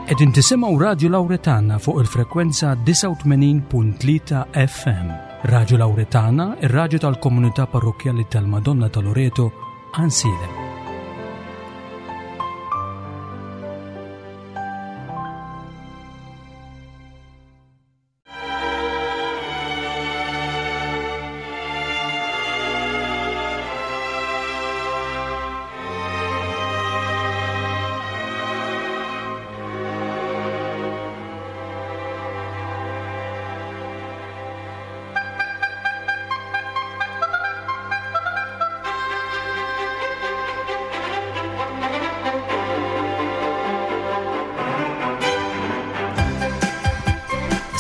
Qegħdin tisimgħu Radju Lawretana fuq il-frekwenza 89.3 FM. Radju Lawretana, ir-radju tal-komunità parrokkjali tal-Madonna ta' Loreto, Għansielem.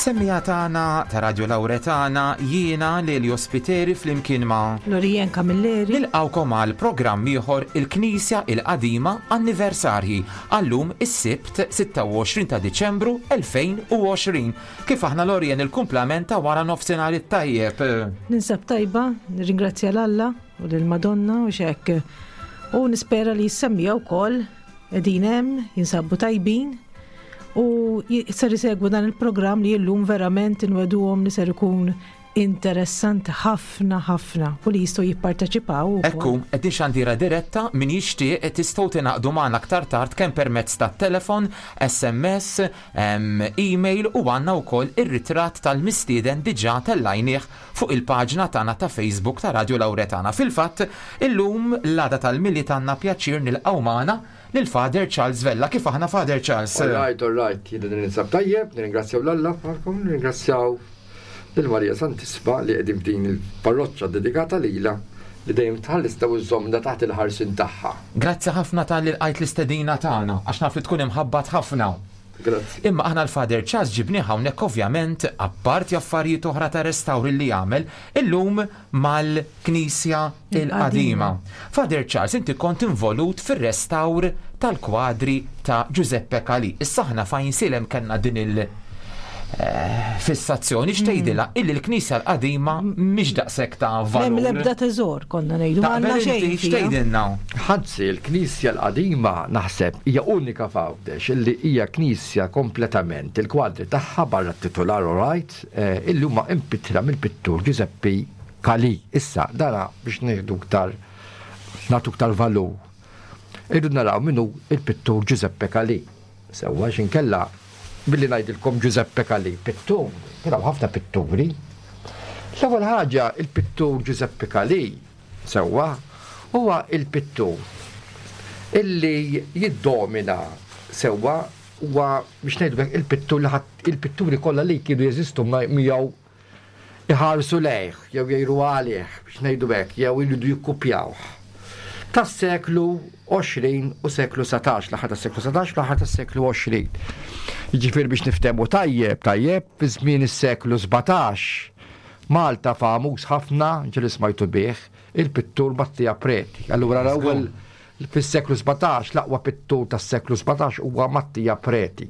Semmija tagħna ta' Radio Lauretana jiena Lelio Spiteri flimkien ma' Lorien Camilleri. Nilqgħukom għal programm ieħor il-Knisja il-Qadima Anniversarji għallum is-Sibt 26 ta' Diċembru 2020. Kif aħna Lorien il-kumplament ta' wara nofsinhar it-tajjeb? Ninsab tajba, nirringrazzja l-Alla u lill-Madonna u xek. U nispera li jissemmija wkoll qegħdin hemm, jinsabu tajbin u ser isegwu dan il-programm li llum verament inweduhom li ser ikun Interessanti ħafna ħafna u li jistgħu jipparteċipaw ukoll. Ekku, qegħdin xandira diretta, min jixtieq tistgħu tingħaqdu magħna aktar tard kemm permezz tat-telefon, SMS, email u għandna wkoll ir-ritratt tal-mistieden diġà tellajnieh fuq il-paġna tagħna ta' Facebook ta' Radio Lauretana. Fil-fatt, illum l-għada tal-Milied għandna pjaċir nilqgħu magħna lil Father Charles Vella. Kif aħna Father Charles? All right, all right, jiena ninsab tajjeb, nirringrazzjaw l-Alla bħalkom, nirringrazzjaw lil Marija Santissima li qegħdin f'din il-parroċċa dedikata lilha li dejjem tħallisna u żżommna taħt il-ħarsien tagħha. Grazzi ħafna talli lqajt l-istedina tagħna, għax naf li tkun imħabbat ħafna. Grazzi. Imma aħna l-Father Charles ġibnieh hawnhekk ovvjament, apparti affarijiet oħra ta' restawr li jagħmel, illum mal-Knisja l-Qadima. Father Charles, inti kont involut fir-restawr tal-kwadri ta' Giuseppe Calì. Issa aħna f'Għajnsielem kellna din il- eh, fissazzjoni x'tgħidilha illi l-Knisja l-Qadima mhix daqshekk ta' valur. M'hemm l-ebda teżor konna ngħidu, ma għandna Taqbel xejn inti fiha. x'tgħidilna? Anzi, l-Knisja l-Qadima naħseb hija unika f'Għawdex illi hija knisja kompletament il-kwadri tagħha barra t-titular all right, illi huma impittra mill-pittur Giuseppe Calì. Issa, dana biex nieħdu iktar nagħtu iktar valur. Irridu naraw min hu il-pittur Giuseppe Calì. Sewwa għax inkella billi ngħidilkom Giuseppe Calì, pittur, kien hawn ħafna pitturi. L-ewwel ħaġa il-pittur Giuseppe Calì, sewwa, huwa il-pittur illi jiddomina sewwa huwa biex ngħidu hekk il-pittur li ħadd il-pitturi kollha li kienu jeżistu miegħu iħarsu lejh jew jgħiru għalih biex ngħidu hekk jew iridu jikkupjawh. Tas-seklu 20 u seklu 19, l-aħħar tas-seklu 19 u l-aħħar tas-seklu 20. Jiġifieri biex niftehmu tajjeb, tajjeb, fi żmien is-seklu 17 Malta famuż ħafna, ġieli smajtu bih, il-pittur Mattia Preti. Allura l-ewwel Fis-seklu 17, l-aqwa pittur tas-seklu 17 huwa Mattia Preti.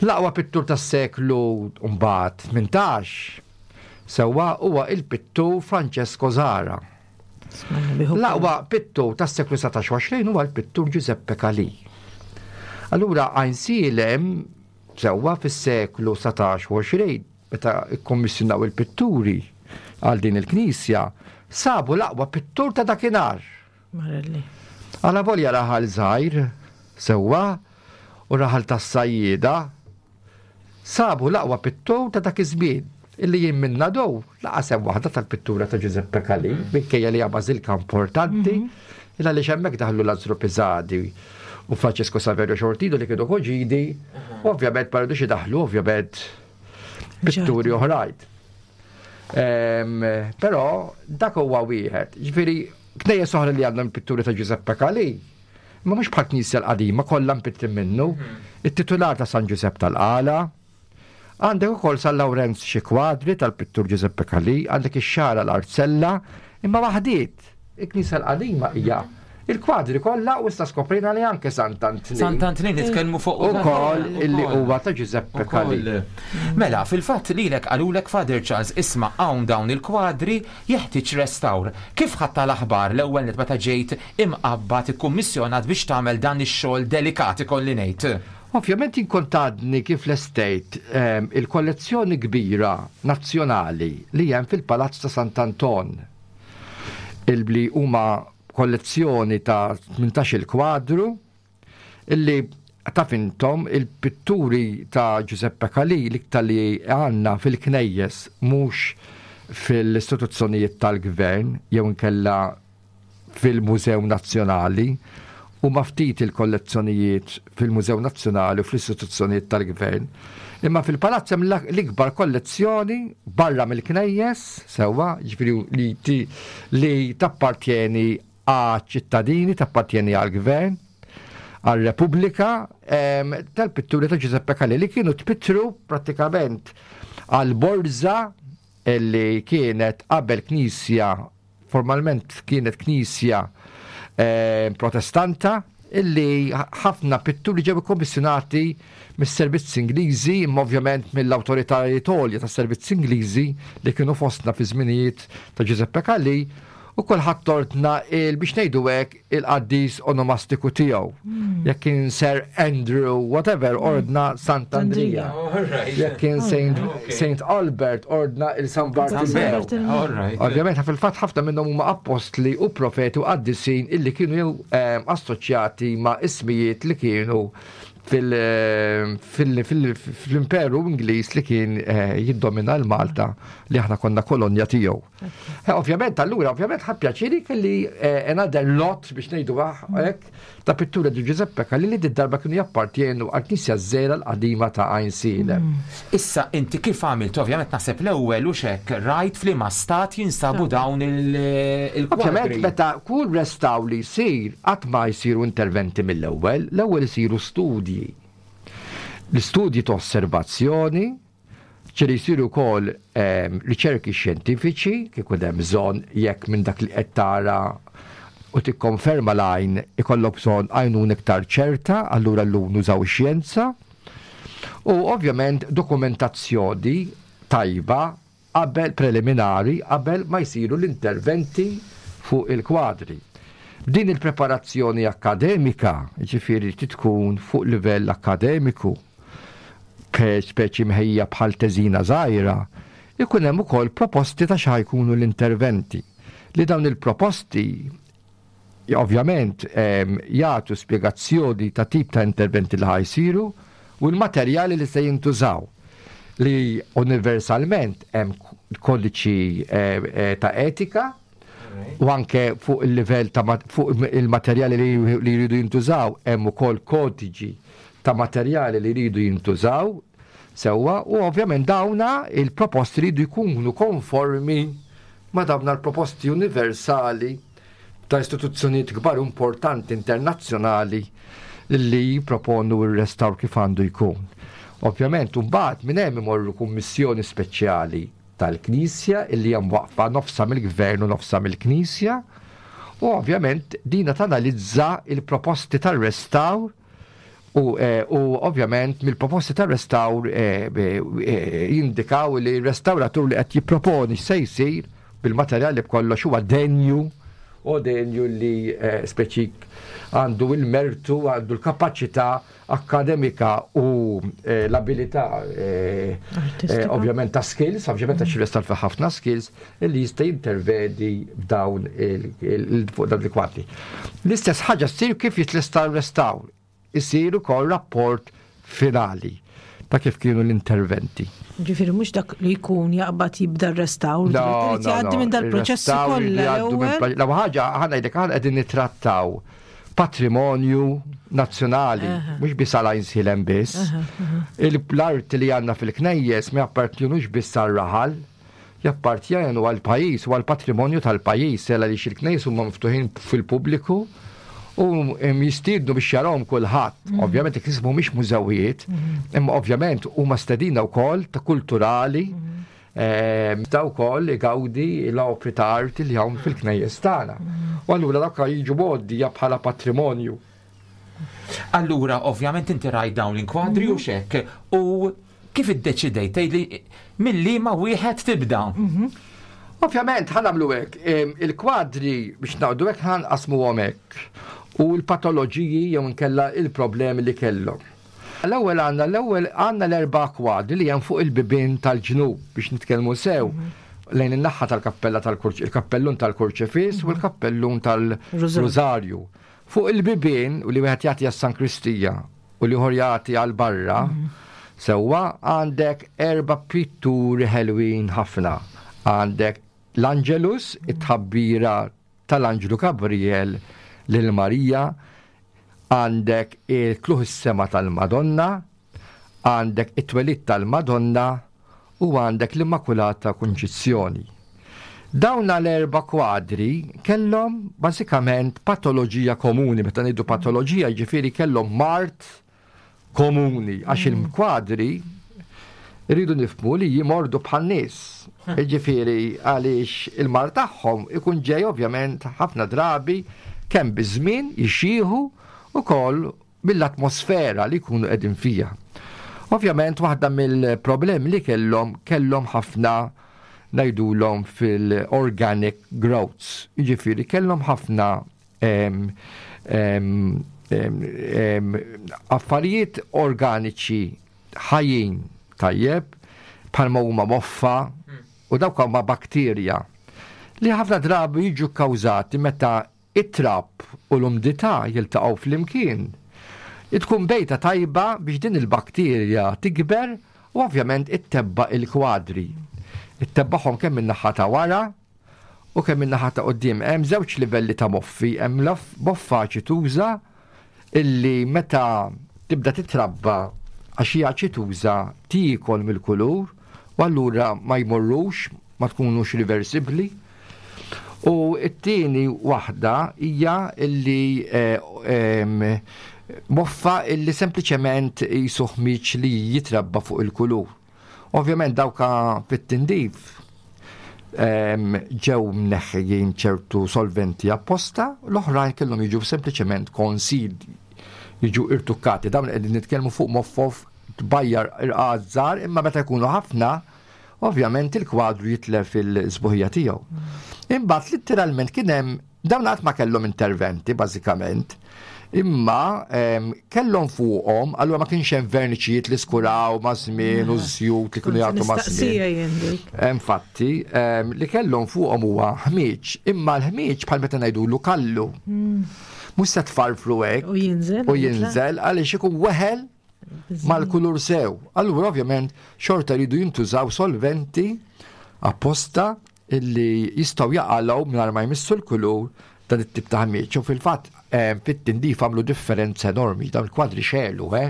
L-aqwa pittur tas-seklu mbagħad 18 sewwa huwa il-pittur Francesco Zara. L-aqwa pittur tas-seklu 19 u 20 huwa l-pittur Giuseppe Calì. Allura Għajnsielem sewwa fis-seklu 19 u 20 meta kkommissjonaw il-pitturi għal din il-knisja, sabu l-aqwa pittur ta' dakinhar. Marelli. Alavolja raħal żgħir, sewwa, u raħal tas-sajjieda, sabu l-aqwa pittur ta' dak iż-żmien, illi jien minn Nadow laqas hemm waħda tal-pittura ta' Giuseppe Calì, minkejja li hija bażilka importanti, il għaliex hemmhekk daħlu Lazzaro Pisani u Francesco Saverio Xortino li kienu koġini, ovvjament ma rridux idaħħlu ovvjament pitturi oħrajn. Però dak huwa wieħed. Ġifieri knejjes oħra li għandhom pitturi ta' Giuseppe Calì, ma mhux bħal knisja l-qadima kollha mpittri minnu. Mhm. It-titular ta' San Giuseppe tal-Qala, għandek ukoll San Lawrenz xi kwadri tal-pittur Giuseppe Calì, għandek ix-xara l-Arzella, imma waħdiet. Il-knisja l-qadima hija il-kwadri kollha u issa skoprejna li anke Sant'Antnin. Sant'Antnin nitkellmu fuq ukoll illi huwa ta' Giuseppe Calì. Mela, fil-fatt lilek qalulek Father Charles isma' hawn dawn il-kwadri jeħtieġ restawr. Kif ħadtha l-aħbar l-ewwel nett meta ġejt imqabbad ikkummissjonat biex tagħmel dan ix-xogħol delikat ikolli ngħid? Ovvjament jien kont għadni kif lestejt il-kollezzjoni kbira nazzjonali li hemm fil-Palazz ta' Sant'Anton, li huma kollezzjoni ta' 18-il kwadru illi taf intom il-pitturi ta' Giuseppe Calì l-iktar li għandna fil-knejjes mhux fil-istituzzjonijiet tal-gvern jew inkella fil-Mużew Nazzjonali. Huma ftit il-kollezzjonijiet fil-Mużew Nazzjonali u fl-istituzzjonijiet tal-gvern. Imma fil-palazz hemm l-ikbar kollezzjoni barra mill-knejjes, sewwa, jiġifieri li, li tappartjeni għaċ-ċittadini, tappartjeni għall-gvern, għal-Repubblika, tal-pitturi ta' Giuseppe Calì li kienu tpittru prattikament għal-borża li kienet qabel knisja formalment kienet knisja eh, protestanta illi ħafna pitturi ġew ikkommissjonati mis-servizzi Ingliżi, imma ovvjament mill-awtoritajiet għolja tas-servizzi Ingliżi li kienu fostna fi żminijiet ta' Giuseppe Calì, u kulħadd ordna il biex ngħidu hekk il-qaddis onomastiku tiegħu. Jekk kien Sir Andrew whatever ordna Sant Andrija. Jekk kien Saint Albert ordna il San Bartolomeo. Ovvjament fil-fatt ħafna minnhom huma appostli u profeti u qaddisin illi kienu assoċjati ma' ismijiet li kienu fil-imperu Ingliż li kien jiddomina l-Malta li aħna konna kolonja tiegħu. Eh, ovvjament, allura, ovvjament, ħa pjaċiri kelli eh, another lot biex ngħidu hekk ta' pittura di Giuseppe Calli li darba kienu jappartjenu għal knisja żgħira l-qadima ta' Għajnsielem. Issa inti kif għamilt, ovvjament naħseb l-ewwel u xek rajt f'liema stat jinsabu dawn il-kwadri. Ovvjament meta kull restawr li jsir qatt ma jsiru interventi mill-ewwel, l-ewwel isiru studji. L-istudji ta' osservazzjoni, Ġieli jsiru wkoll riċerki xjentifiċi kif ikun hemm bżonn jekk minn dak li qed tara u tikkonferma l-għajn ikollok bżonn għajnuna iktar ċerta, allura llum nużaw ix-xjenza. U ovvjament dokumentazzjoni tajba qabel preliminari qabel ma jsiru l-interventi fuq il-kwadri. Din il-preparazzjoni akkademika, jiġifieri trid tkun fuq livell akkademiku, speċi mħejja bħal teżina żgħira, ikun hemm ukoll proposti ta' x'ħa jkunu l-interventi. Li dawn il-proposti ovvjament jagħtu spjegazzjoni ta' tip ta' interventi li ħa jsiru u l-materjali li se jintużaw li universalment hemm kodiċi ta' etika u anke fuq il-livell ta' fuq il-materjali li jridu jintużaw hemm ukoll kodiġi ta' materjali li jridu jintużaw sewwa u ovvjament dawna il-proposti jridu jkunu konformi ma' dawna l-proposti universali ta' istituzzjonijiet kbar importanti internazzjonali li jipproponu r-restawr kif għandu jkun. Ovvjament, mbagħad minn hemm imorru kummissjoni speċjali tal-Knisja illi hija mwaqqfa nofsha mill-Gvern u nofsha mill-Knisja u ovvjament dina tanalizza il-proposti tar-restawr u, eh, u ovvjament mill-proposti tar-restawr eh, eh, jindikaw li r-restawratur li qed jipproponi x'se jsir bil-materjali b'kollox huwa denju u denju li speċi għandu il-mertu, għandu l-kapaċità akkademika u eh, l-abilità eh, eh, ovvjament ta' skills, ovvjament għax il-restawr fi ħafna skills, li jista' jintervedi f'dawn fuq dawn il-kwadri. L-istess ħaġa ssir kif jitlesta r-restawr, isir ukoll rapport finali ta' kif kienu l-interventi. Ġifieri mhux dak li jkun jaqbad jibda r-restawr, irid jgħaddi minn dal-proċessi kollha. L-ewwel ħaġa aħna ngħidlek aħna qegħdin nittrattaw patrimonju nazzjonali, mhux biss għal Għajnsielem biss. L-arti li għandna fil-knejjes ma jappartjenux biss għar-raħal, jappartjenu għall-pajjiż u għall-patrimonju tal-pajjiż, għaliex il-knejjes huma miftuħin fil-pubbliku u jistiednu biex jarahom kulħadd. Ovvjament il-knejjes mhumiex mużewijiet, imma ovvjament huma stedina wkoll ta' kulturali Sta wkoll igawdi l-opri ta' arti li hawn fil-knejjes tagħna. U allura dawk jiġu mgħoddija bħala patrimonju. Allura, ovvjament inti rajt dawn l-inkwadri u xek, u kif iddeċidejt tgħidli mill-liema wieħed tibda? Mhm. Ovvjament ħa nagħmlu hekk, il-kwadri biex naqdu hekk ħa nqasmuhom hekk u l-patoloġiji jew inkella il-problemi li kellhom. L-ewwel għandna l-ewwel għandna l-erba' kwadri li hemm fuq il-bibien tal-ġnub biex nitkellmu sew lejn in-naħa tal-kappella tal-Kurċ, il-kappellun tal-Kurċifiss u l-kappellun tal-Rużarju. Fuq il-bibien u li wieħed jagħti għas-Sankristija u l-ieħor jagħti għal barra, sewwa għandek erba' pitturi ħelwin ħafna. Għandek l-Angelus, it-tħabbira tal-Anġlu Gabriel lil Marija, għandek il-tlugħ is-sema tal-Madonna, għandek it-twelid tal-Madonna u għandek l-Immakulata Kunċizzjoni. Dawn l-erba' kwadri kellhom bażikament patoloġija komuni, meta ngħidu patoloġija jiġifieri kellhom mard komuni għax il-kwadri rridu nifhmu li jimordu bħan-nies. Jiġifieri għaliex il-mard tagħhom ikun ġej ovvjament ħafna drabi kemm biż-żmien jixjieħu ukoll mill-atmosfera li jkunu qegħdin fiha. Ovvjament waħda mill-problemi li kellhom kellhom ħafna ngħidulhom fil-organic growths, jiġifieri kellhom ħafna affarijiet organiċi ħajjin tajjeb bħalma huma moffa u dawk huma bakterja li ħafna drabi jiġu kkawżati meta it-trab u l-umdità jiltaqgħu flimkien. Tkun bejta tajba biex din il-bakterja tikber u ovvjament ittebba' il-kwadri. Ittebbagħhom kemm min-naħa ta' wara u kemm min-naħa ta' quddiem. Hemm żewġ livelli ta' moffi, hemm moffa aċituża illi meta tibda titrabba għax hija aċituża tiekol mill-kulur u allura ma jmorrux, ma tkunux riversibbli. U t-tieni waħda hija illi eh, moffa illi sempliċement jisu ħmiġ li jitrabba fuq il-kulur. Ovvjament dawka fit-tindif ġew mneħħijin ċertu solventi apposta, l-oħrajn kellhom jiġu sempliċement konsid jiġu irtukkati. Dawn qegħdin nitkellmu fuq moffof tbajjar irqad żgħar, imma meta jkunu ħafna, ovvjament il-kwadru jitlef il-sbuħija tiegħu. Imbagħad litteralment kien hemm Dawn qatt ma kellhom interventi bażikament, imma kellhom fuqhom, allura ma kienx hemm verniċijiet li skuraw ma' żmien u żjut li kienu jagħtu ma' żmien. Infatti, li kellhom fuqhom huwa ħmieġ, imma l-ħmieġ bħal meta ngħidulu kallu. Mhux se tfarfru hekk. U jinżel. U jinżel għaliex ikun weħel mal-kulur sew. Allura ovvjament xorta jridu jintużaw solventi apposta illi jistgħu jaqalgħu mingħajr ma jmissu l-kulur dan it-tip ta' ħmieġ. U fil-fatt eh, fit-tindif għamlu differenza enormi, dawn il-kwadri xelu, eh?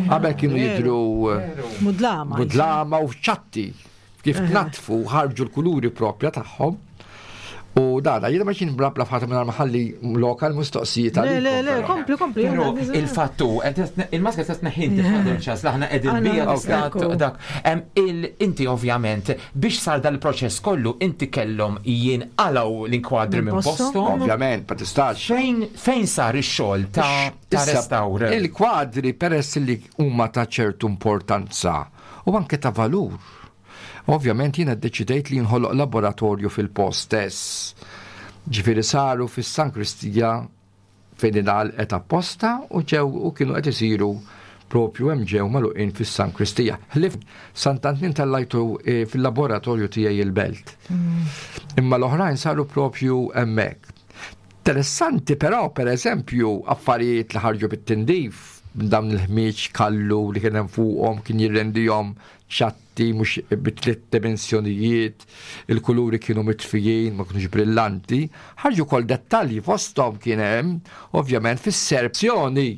Qabel kienu jidru eh, Mudlama. mudlama u ċatti kif tnatfu ħarġu l-kuluri propja tagħhom. U dana, jiena ma x'in blabla f'ħadd minn maħalli lokal mistoqsijiet Le, le, le, kompli, kompli. Pero il-fattu, il-maska ta' tneħħin tifadel ċas, laħna qegħdin bija tista' dak. Inti ovvjament Biex sar dal-proċess kollu inti kellhom jinqalgħu l-inkwadri minn posthom. Ovvjament, ma tistax. Fejn fejn sar ix-xogħol ta' ta' restawr? Il-kwadri peress li huma ta' ċertu importanza u anke ta' valur. Ovvjament jiena ddeċidejt li jinħoloq laboratorju fil-post stess. Ġifieri saru fis-Sankristija fejn ingħalqet apposta u ġew u kienu qed isiru propju hemm ġew magħluqin fis-sankristija. Ħlief Sant'Antnin tellajtu eh, fil-laboratorju tiegħi il-belt. Imma l-oħrajn saru propju hemmhekk. Interessanti però, per eżempju, affarijiet li ħarġu bit-tindif dawn il-ħmieġ kallu li kien hemm fuqhom kien jirrendihom ċatti mhux bi tliet dimensjonijiet, il-kuluri kienu mitfijin, ma kinux brillanti, ħarġu wkoll dettalji fosthom kien hemm ovvjament fis-serzjoni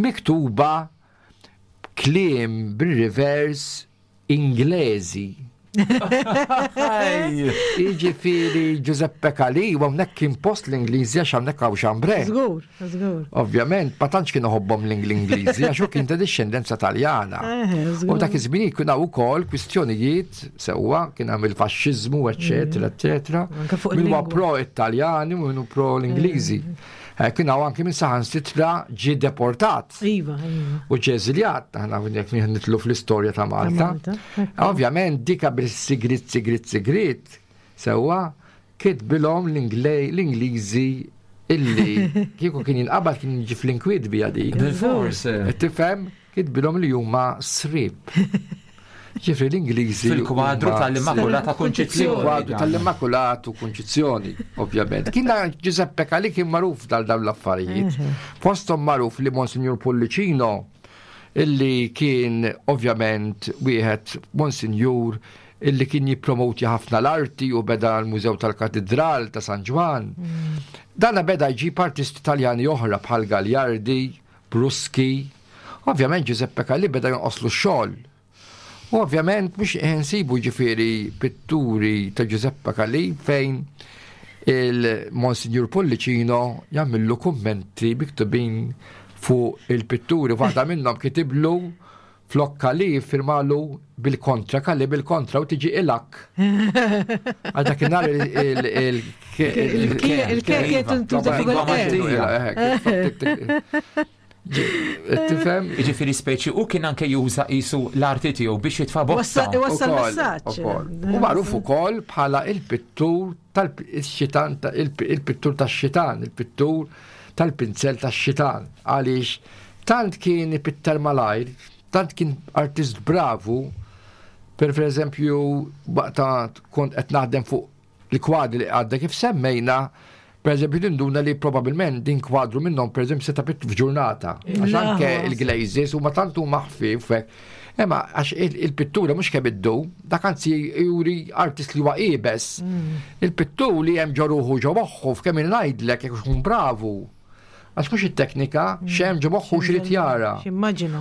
miktuba kliem bir-reverse Inglezi. Jiġifieri Giuseppe Calì, u hawnhekk kien post l-Ingliżi għax hawnhekk hawn xambre. Żgur, żgur. Ovvjament, ma tantx kien iħobbhom l-Ingliżi għax hu kien ta' dixxendenza Taljana. U dak iż-żmien kien hawn ukoll kwistjonijiet sewwa kien hemm il-faxxiżmu, eċċetera, mm. eċċetera. Min huwa pro Italjani u min pro l-Ingliżi. Eh, kien hawn anke minn saħansitra ġie deportat. Iva, iva. U ġie eżiljat, aħna jekk nitlu fl-istorja ta' Malta. Ovvjament dika bil-sigrit, sigrit, sigrit, sewwa kitbilhom l-Ingliżi illi kieku kien jinqabad kien jiġi fl-inkwiet bija dik. Bil-fors. Tifhem? Kitbilhom li huma srib. Ġifri l-Ingliżi. Fil-kwadru tal-Immakulata Kunċizzjoni. Fil-kwadru tal-Immakulatu Kunċizzjoni, ovvjament. Kien Giuseppe Calì kien magħruf dal dawn l-affarijiet. Fosthom magħruf li Monsignor Pullicino illi kien ovvjament wieħed Monsinjur illi kien jippromoti ħafna l-arti u beda l-Mużew tal-Katidral ta' San Ġwann. Dana beda jġib artisti Taljani oħra bħal Gagliardi, Bruschi. Ovvjament Giuseppe Calì beda jonqoslu x-xogħol. U ovvjament mhux insibu ġifieri pitturi ta' Giuseppe Calì fejn il-Monsignor Pullicino jagħmillu kummenti miktubin fuq il-pitturi. Waħda minnhom kitiblu flok Calì firmalu bil-kontra, Calì bil-kontra u tiġi ilak. Għal dakinhar il- Il-ke tintuża fuq il-ke. Tifhem? Jiġifieri speċi u kien anke juża qisu l-arti tiegħu biex jitfa' botta. Iwassal messaġġ. U magħruf ukoll bħala il-pittur tal-xitan il-pittur tax-xitan, il-pittur tal-pinzel tax-xitan. Għaliex tant kien ipitter malajr, tant kien artist bravu, per eżempju waqta kont qed naħdem fuq Il-kwadri li għadda kif semmejna, per eżempju, tinduna li probabilment din kwadru minnhom per eżempju seta' pittu f'ġurnata. Għax anke il-glazes huma tant huma ħfief Imma għax il-pittura mhux kemm iddu, dak anzi juri artist li huwa iebes. Il-pittur li hemm ġo ruħu ġo moħħu f'kemm ngħidlek jekk ikun bravu. Għax mhux it-teknika, x'hemm ġo moħħu x'irid jara.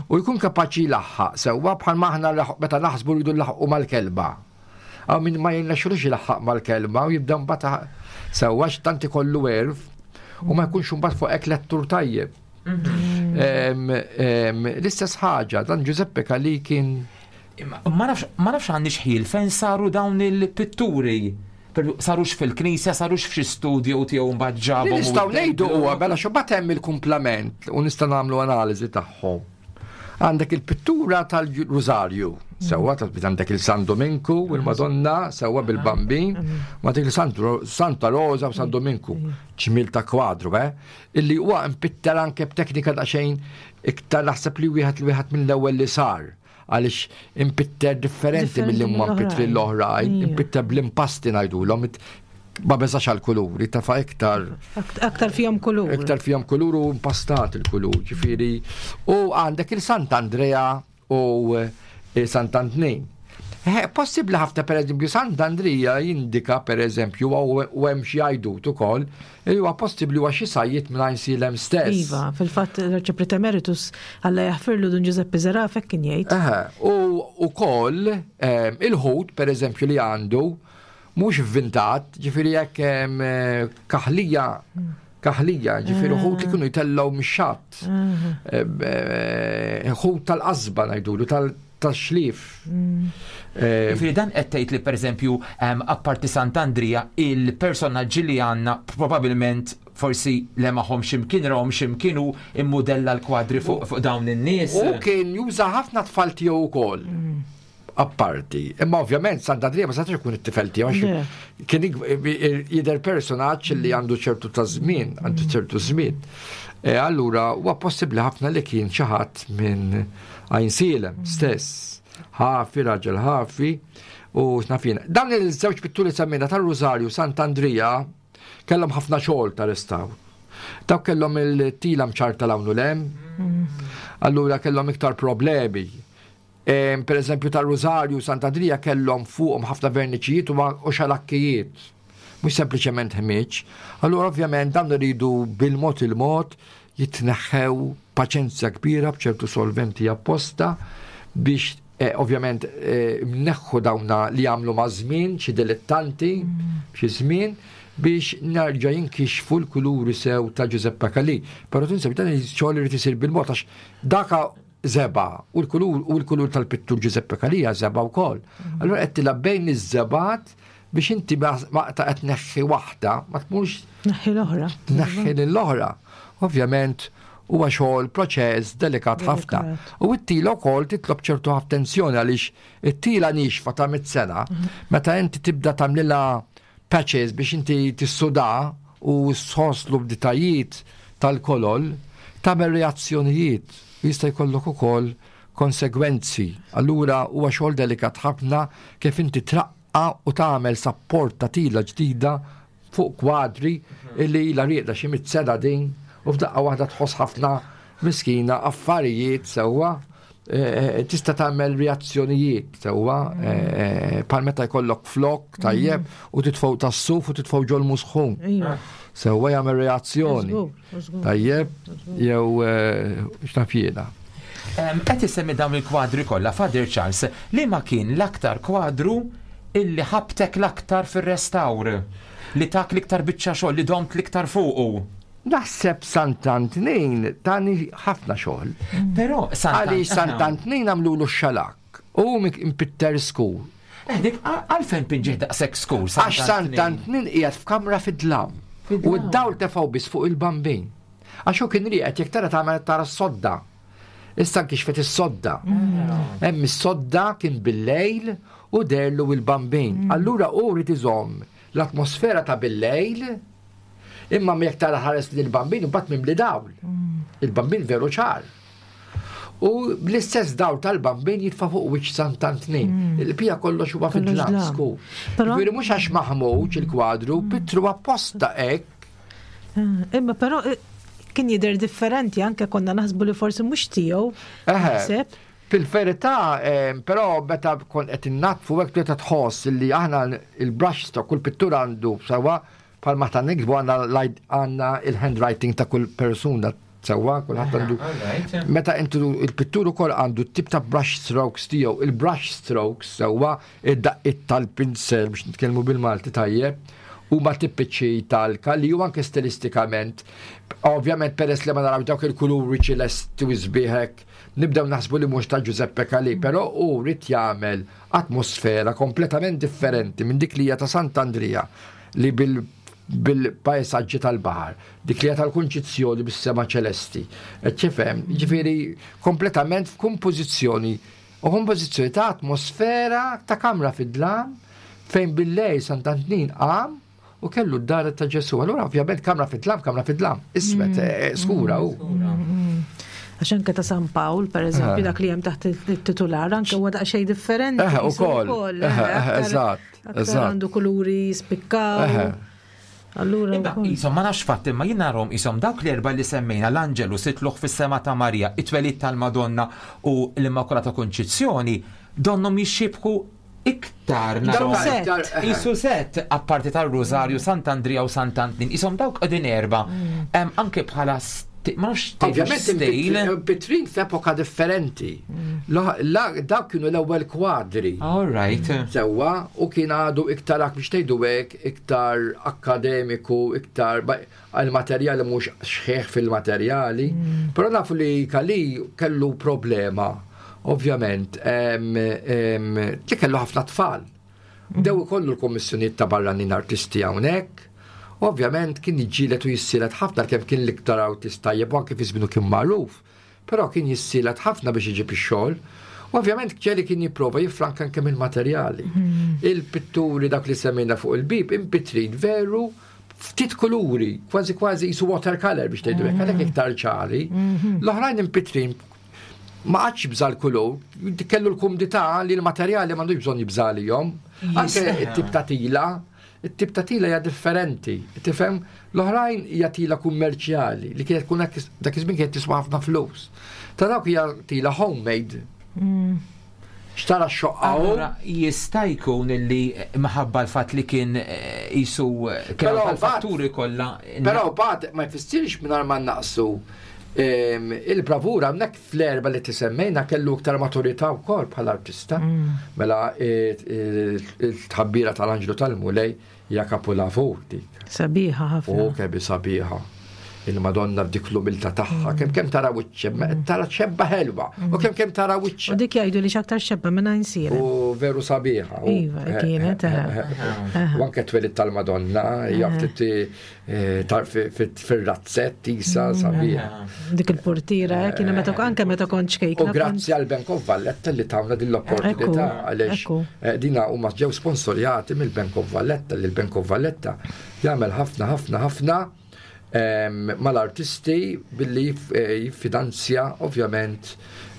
U jkun kapaċi jlaħħaq sewwa bħal aħna meta naħsbu rridu nlaħħqu mal-kelba. Hawn min ma jirnexxilux ilaħħaq mal-kelma u jibda mbagħad sewwa għax tant ikollu għerf u ma jkunx imbagħad fuq hekk lettur tajjeb. L-istess ħaġa, dan Giuseppe Calì kien Ma nafx għandix ħil fejn saru dawn il-pitturi. Sarux fil-knisja, sarux f'xi studio tiegħu mbagħad ġabhom. Nistgħu ngħidu huwa mela xi mbagħad hemm il-kumplament u nista' nagħmlu analiżi tagħhom. Għandek il-pittura tal-Rużarju, sewwa għandek il-San Dominku u l-Madonna, sewwa bil-Bambin, ma dik il-Santa Rosa u San Dominku, ġmiel ta' kwadru, eh? Illi huwa mpitter anke b'teknika daqsxejn iktar naħseb li wieħed li wieħed mill-ewwel li sar għaliex impitter differenti mill-li huma mpittri l-oħrajn, impitter bl-impasti ngħidulhom, ma beżax għal kuluri, tafa iktar. Aktar fihom kulur. Iktar fihom kulur u impastat il-kulur, ġifieri. U għandek il-Sant'Andrea u eh, Sant'Antnin. Eh, possibbli ħafna per eżempju Sant'Andrija jindika per eżempju u hemm xi għajdut ukoll li huwa possibbli huwa xi sajjied minn Għajnsielem stess. Iva, fil-fatt l-Arċipriet Emeritus Alla jaħfirlu Dun Ġużeppi Zerafa hekk kien jgħid. U ukoll eh, il-ħut per eżempju li għandu Mhux vvintat, ġifieri hekk kaħlija kaħlija, ġifieri ħut li kienu jtellgħu mix-xatt. Eh, ħut tal-qasba ngħidulu tal-xlief. Mm. Eh, ġifieri dan qed tgħid li pereżempju apparti Sant'Andrija il-personaġġi li għandna probabbilment forsi lemaħom x'imkien rawhom x'imkien u immudella l-kwadri fuq dawn in-nies. U kien juża ħafna tfal tiegħu wkoll. Mm. Apparti. Imma ovvjament Sant'Andrija ma setax ikun it-tifel tiegħu għax kien jidher personaġġ li għandu ċertu ta' żmien, għandu ċertu żmien. E, allura huwa possibbli ħafna li kien xi ħadd minn Għajnsielem stess. Ħafi, raġel ħafi u x'naf jien. Dan il-żewġ pitturi semmejna tar-Rużarju Sant'Andrija kellhom ħafna xogħol ta' restawr. Dawk kellhom il-tila mċarta l-hawn u l-hemm. Allura kellhom iktar problemi. Per eżempju tar-Rużarju Sant'Andrija kellhom fuqhom ħafna verniċijiet u xalakkijiet, mhux sempliċement ħmieġ. Allura ovvjament dawn iridu bil-mod il-mod jitneħħew paċenzja kbira b'ċertu solventi apposta biex eh, ovvjament eh, mneħħu dawna li jagħmlu ma' żmien xi dilettanti xi żmien biex nerġa' jinkixfu l-kuluri sew ta' Giuseppe Calì. Però tinsab dan il-xogħol irid isir bil-mod għax daka żebgħa u l-kulur u l-kulur tal-pittur Giuseppe Calia żebgħa wkoll. Mm. Allura qed tilgħab bejn iż-żebgħat biex inti maqta qed tneħħi waħda ma tmurx Neħħi l-oħra. Neħħi lill-oħra. Ovvjament huwa xogħol proċess delikat ħafna. U t-tila wkoll titlob ċertu attenzjoni għaliex it-tila nixfa ta' mit sena, mhm. meta inti tibda tagħmlilha patches biex inti tissuda u sħoslu b'ditajiet tal-kolol, tagħmel reazzjonijiet. u jista' jkollok ukoll konsegwenzi. Allura huwa xogħol delikat ħafna kif inti traqqa u tagħmel sapport ta' tila ġdida fuq kwadri illi ilha rieqda xi mitt sena din u f'daqqa waħda tħoss ħafna miskina affarijiet sewwa eh, eh, tista' tagħmel reazzjonijiet sewwa eh, bħal meta jkollok flok tajjeb u titfgħu tas-suf u titfgħu ġol musħun. Iva. Sewwa jagħmel reazzjoni. Tajjeb jew x'naf jiena. Qed isemmi dawn il-kwadri kollha, Father Charles, li ma kien l-aktar kwadru illi ħabtek l-aktar fir-restawr? Li tak l-iktar biċċa xogħol, li domt l-iktar fuqu? Naħseb Sant'Antnin tani ħafna xogħol. Però Sant Għaliex Sant'Antnin għamlulu x-xalakk u hu impitter skur. Eh, dik għalfejn pinġih daqshekk skur? Għax Sant'Antnin qiegħed f'kamra fid-dlam. U d-dawl tefgħu biss fuq il-bambin. Għax hu kien rieqed jekk tara tagħmel tara s-sodda. Issa nkixfet is-sodda. Hemm is-sodda kien bil-lejl u derlu il-bambin. Mm. Allura hu rid iżomm l-atmosfera ta' bil-lejl imma jekk tara ħares lil bambin imbagħad mimli dawl. Mm. Il-bambin veru ċar. U bl-istess dawl tal-bambin jitfa' fuq wiċċ Sant'Antnin. Mm. Il-pija kollox huwa fid-dlam skur. Ġifieri mhux għax maħmuġ il-kwadru, pittru apposta hekk Eh, imma però eh, kien jidher differenti anke konna naħsbu li forsi mhux tiegħu. Fil-verità, eh, però meta kon qed innatfu hekk meta tħoss li aħna il-brush stroke kull pittur għandu sewwa bħal ma ta' niksbu għandna il-handwriting ta' kull persuna sewwa kulħadd għandu. Meta intu il-pittur ukoll għandu t-tip ta' brush strokes tiegħu, il-brush strokes sewwa Id-daqqiet tal-pinsel biex nitkellmu bil-Malti tajjeb huma tipiċi tal-Calì u anke stilistikament. Ovvjament peress li ma narawx dawk il-kuluri ċilesti u sbieħ hekk, nibdew naħsbu li mhux ta' Giuseppe Calì, però hu ried jagħmel atmosfera kompletament differenti minn dik li hija ta' Sant'Andrija li bil bil-paesaġġi tal-baħar, dik li hija tal-Kunċizzjoni bis-sema ċelesti. Qed tifhem? Jiġifieri kompletament f'kompożizzjoni U kompożizzjoni ta' atmosfera ta' kamra fid-dlam fejn bil-lejl Sant'Antnin qam u kellu d-dar ta' Ġesu. Allura ovvjament kamra fid-dlam, kamra fid-dlam, iswed, mm. eh, eh, skura u. Mm, mm. Għax anke ta' San Pawl, per eżempju, eh. dak li hemm taħt il-titular, anke huwa daqsxejn differenti. Eh, ukoll. Eżatt. Għandu kuluri spikkaw. Allura Isom ma nafx fatt imma jien narhom isom dawk l-erba' li semmejna l-Anġelu sitluħ fis-sema ta' Marija, it-twelid tal-Madonna u l-Immakulata Kunċizzjoni donnhom jixxiebħu iktar narhom. Isu set apparti tar-Rużarju, Sant'Andrija u Sant'Antnin, isom dawk qegħdin erba' mm. anke bħala ma nafx Ovvjament Pitrin f'epoka differenti. Mm. Dawk kienu l-ewwel kwadri. All right. Sewwa u kien għadu iktar biex tgħidu hekk iktar akkademiku, iktar għal-materjali mhux xħieħ fil-materjali. Mm. Però nafu li Kali kellu problema, ovvjament, li kellu ħafna tfal. Bdew ikollu l-kommissjonijiet ta' barranin artisti hawnhekk. Ovvjament kien jiġġieled u jissielet ħafna kemm kien l-iktar artist tajjeb u anke fi żmienu kien magħruf. Però kien jissielet ħafna biex iġib ix-xogħol. U ovvjament ġeli kien jipprova jiffranka anke mill-materjali. Hmm. Il-pitturi dak li semmejna fuq il-bib impitrin veru ftit kuluri, kważi kważi jisu watercolor biex tgħidu hekk, għalhekk iktar ċari. Mhm. L-oħrajn impitrin ma qatx jibża' l-kulur, kellu l-kumdità li l-materjali m'għandux bżonn jibża' għalihom. Anke t-tip ta' tila, it-tip ta' tila hija differenti. Tifhem? L-oħrajn hija tila kummerċjali li kienet tkun dak iż-żmien kienet tiswa ħafna flus. Ta' dawk hija tila homemade. Mm. Xtara x-xoqqa hu. Jista' jkun illi maħabba l-fatt li kien eh, jisu eh, kien tal-fatturi kollha. Però bad ma jfissirx mingħajr ma naqsu ehm, il-bravura hawnhekk fl-erba li tisemmejna kellu iktar maturità wkoll bħala artista. Mm. Mela eh, il-tħabbira tal-Anġlu tal-Mulej Hija kapulavur dik. Sabiħa ħafna. U kemm sabiħa. Il-Madonna b'dik l-umilta tagħha, mm. kemm kemm tara wiċċ, mm. tara ċebba ħelwa, u mm. kemm kemm tara wiċċ. U dik jgħidu li x'aktar xebba minn għajn U veru sabiħa. Iva, eh, kienet. Eh, eh, u anke twelid tal-Madonna, hija ftit fir-razzett isa sabiħa. Dik il-portiera, kienu meta anke meta kont ċkejkna. U grazzi għal Bank of Valletta li tawna din l-opportunità għaliex dina huma ġew sponsorjati mill-Bank of Valletta li l-Bank of Valletta jagħmel ħafna ħafna ħafna. mal-artisti billi jiffinanzja ovvjament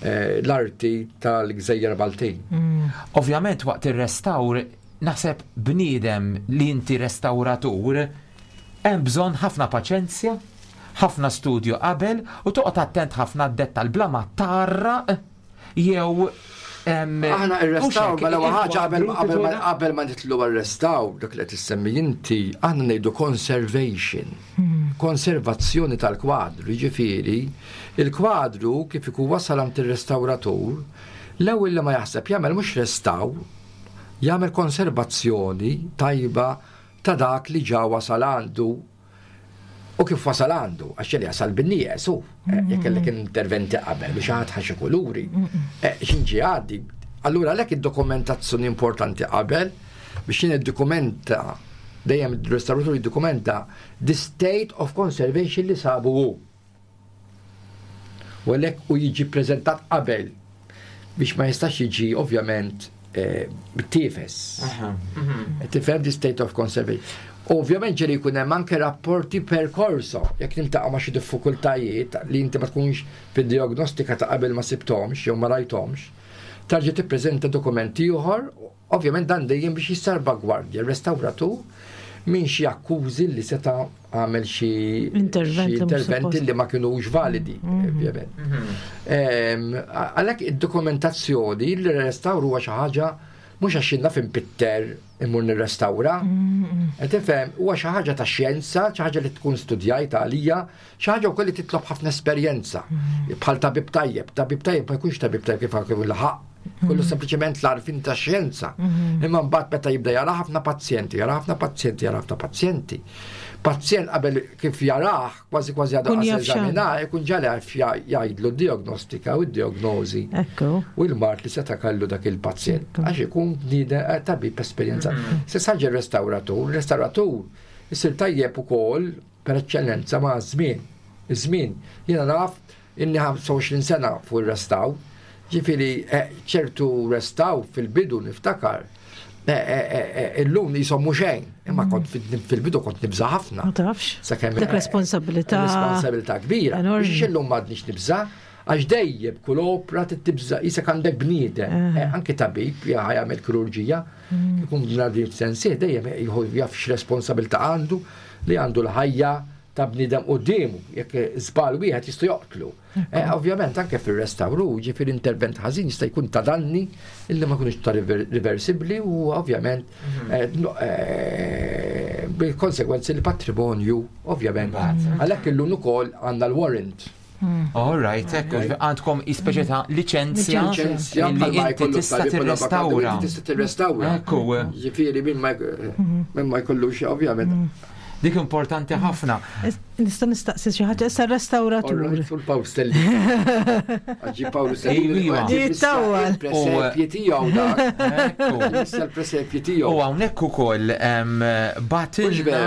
l-arti tal-Gżejjer Maltin. Ovvjament waqt ir-restawr naħseb bniedem li inti restawratur hemm bżonn ħafna paċenzja, ħafna studju qabel u toqgħod attent ħafna għad-dettall bla ma tgħarraq jew Aħna ir-restawr mela ewwel ħaġa qabel qabel ma nitlu għar-restawr dak li qed issemmi inti, aħna ngħidu conservation. Konservazzjoni tal-kwadru, jiġifieri il-kwadru kif ikun wasal għand ir-restawratur, l-ewwel li ma jaħseb jagħmel mhux restawr, jagħmel konservazzjoni tajba ta' dak li ġa wasal għandu U kif wasal għandu, għax ġeli jasal bin-nieqes hu, jekk kellek interventi qabel u xi ħadd ħa xi kuluri, x'inġi għaddi. Allura għalhekk id-dokumentazzjoni importanti qabel biex jien iddokumenta dejjem il-restauratur jiddokumenta the state of conservation li sabu hu. U għalhekk u jiġi ppreżentat qabel biex ma jistax jiġi ovvjament eh, tifes. Mhm. Tifhem the state of conservation. Ovvjament ġeri jkun hemm anke rapporti per corso, jekk niltaqa' ma' xi diffikultajiet li inti ma tkunx fid-diagnostika ta' qabel ma sibthomx jew ma rajthomx, tarġa' tippreżenta dokumenti ieħor Ovvjament dan dejjem biex jissalvagwardja r-restawratur minn xi akkużi li seta' għamel xi interventi li ma kinux validi, ovvjament. Għalhekk id-dokumentazzjoni li restawr huwa xi ħaġa mhux għax jien naf impitter immur nirrestawra. Qed tifhem, huwa xi ħaġa ta' xjenza, xi ħaġa li tkun studjajt għalija, xi ħaġa wkoll li titlob ħafna esperjenza. Bħal tabib tajjeb, tabib tajjeb ma jkunx tabib tajjeb kif kif laħaq. Kollu mhm. sempliċement l-arfin ta' xjenza. Mhm. Imma mbagħad meta jibda jara ħafna pazjenti, jara ħafna pazjenti, jara ħafna pazjenti. Pazjent qabel kif jarah, kważi kważi għadu eżamina, ikun ġali għaf jgħidlu d-diagnostika u d-diagnozi. U l-mart li seta' kellu dak il-pazjent. Għax ikun eh, tabib esperjenza. Mhm. Se saġi restauratur, restauratur isir tajjeb ukoll per eċċellenza ma' żmien. Iż-żmien, jiena naf Ilni 25 sena fuq ir-restawr, ġifieri eh, ċertu restawr fil-bidu niftakar. Eh, eh, illum jisom mhux xejn, imma mm. kont fil-bidu kont nibża' ħafna. Ma tafx. Sakemm dak responsabilità. Responsabilità kbira. Biex illum m'għadniex nibża' għax dejjem kull opra tibża' jisek għandek bniedem, anke tabib jagħmel kirurġija, mm. ikun bnadin f'sensih dejjem jaf x'responsabilità għandu li għandu l-ħajja ta' bniedem quddiemu, jekk żball wieħed jista' joqtlu. Eh, ovvjament anke fir-restawru, ġifieri intervent ħażin jista' jkun ta' danni illi ma jkunux ta' riversibbli u ovvjament mhm. eh, eh, bil-konsegwenzi li patrimonju ovvjament. Għalhekk illum ukoll għandna l-warrant. Hmm. All right, ekku, għandkom ispeċi ta' licenzja li inti tista' tirrestawra. Tista' tirrestawra. Ekku. Ġifieri minn ma jkollux ovvjament. Hmm. Dik importanti ħafna. Nista' nistaqsi xi ħaġa issa restawratur. Sul Pawl Stelli. Ġi Pawl Stelli. Jittawwal. Presepji tiegħu dak. Issa l-presepji tiegħu. U hawnhekk ukoll batilna.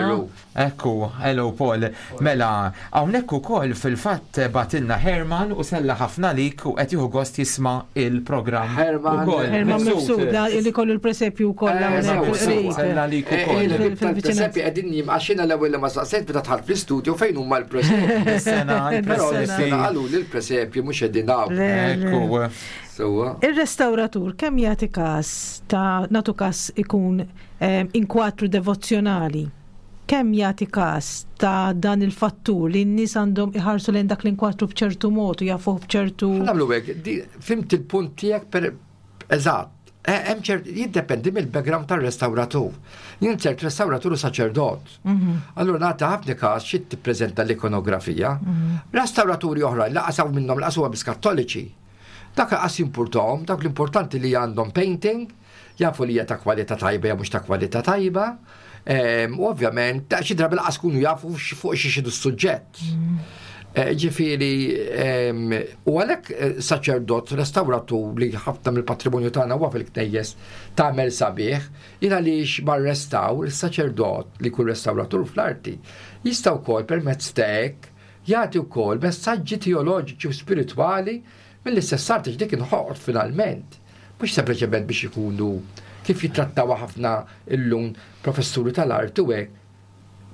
Ekku, hello Paul. Mela, hawnhekk ukoll fil-fatt bagħtilna Herman u sella ħafna għalik u qed jieħu gost jisma' il-programm. Herman. Ukoll. Herman Mifsud, li kollu l-presepju wkoll eh, hawnhekk fil-qrib. Sella għalik eh, ukoll. Eh, Il-presepji qegħdin jim għax jiena l-ewwel li ma saqsejt meta dħalt fl-istudio fejn huma l-presepji. Is-sena l-presepji. Qalu li l-presepji mhux qegħdin hawn. Ekku. Sewwa. Ir-restawratur kemm jagħti każ ta' nagħtu każ ikun inkwatru devozzjonali? Kemm jagħti każ ta' dan il-fattur li n-nies għandhom iħarsu lejn dak l-inkwatru b'ċertu mod u jafuh b'ċertu. Ħa nagħmlu hekk, fhimt il-punt tiegħek per eżatt. Eh, hemm ċert jiddependi mill-background tar-restawratur. Jien ċert restawratur u saċerdot. Mhm. Allura nagħti ħafna każ xi tippreżenta l-ikonografija. Mhm. Restawraturi oħra laqas hawn minnhom laqas huwa biss Kattoliċi. Dak laqas jimpurtahom, dak l-importanti li għandhom painting, jafu li hija ta' kwalità tajba jew mhux ta' kwalità tajba. Ehm, u ovvjament, xi drabi laqas kunu jafu fuq xi xidu s-suġġett. Mm. Eh, ġifieri, ehm, u għalhekk eh, saċerdot, restauratur li ħafna mill-patrimonju tagħna huwa fil-knejjes tagħmel sabiħ, jien għaliex mar-restawr, is-saċerdot li jkun restauratur fl-arti, jista' wkoll permezz ta' hekk jagħti wkoll messaġġi teoloġiċi u spiritwali Mill-istess arti dik inħoqot finalment, mhux sempliċement biex ikunu kif jittrattawha ħafna illum professuri tal-arti u hekk.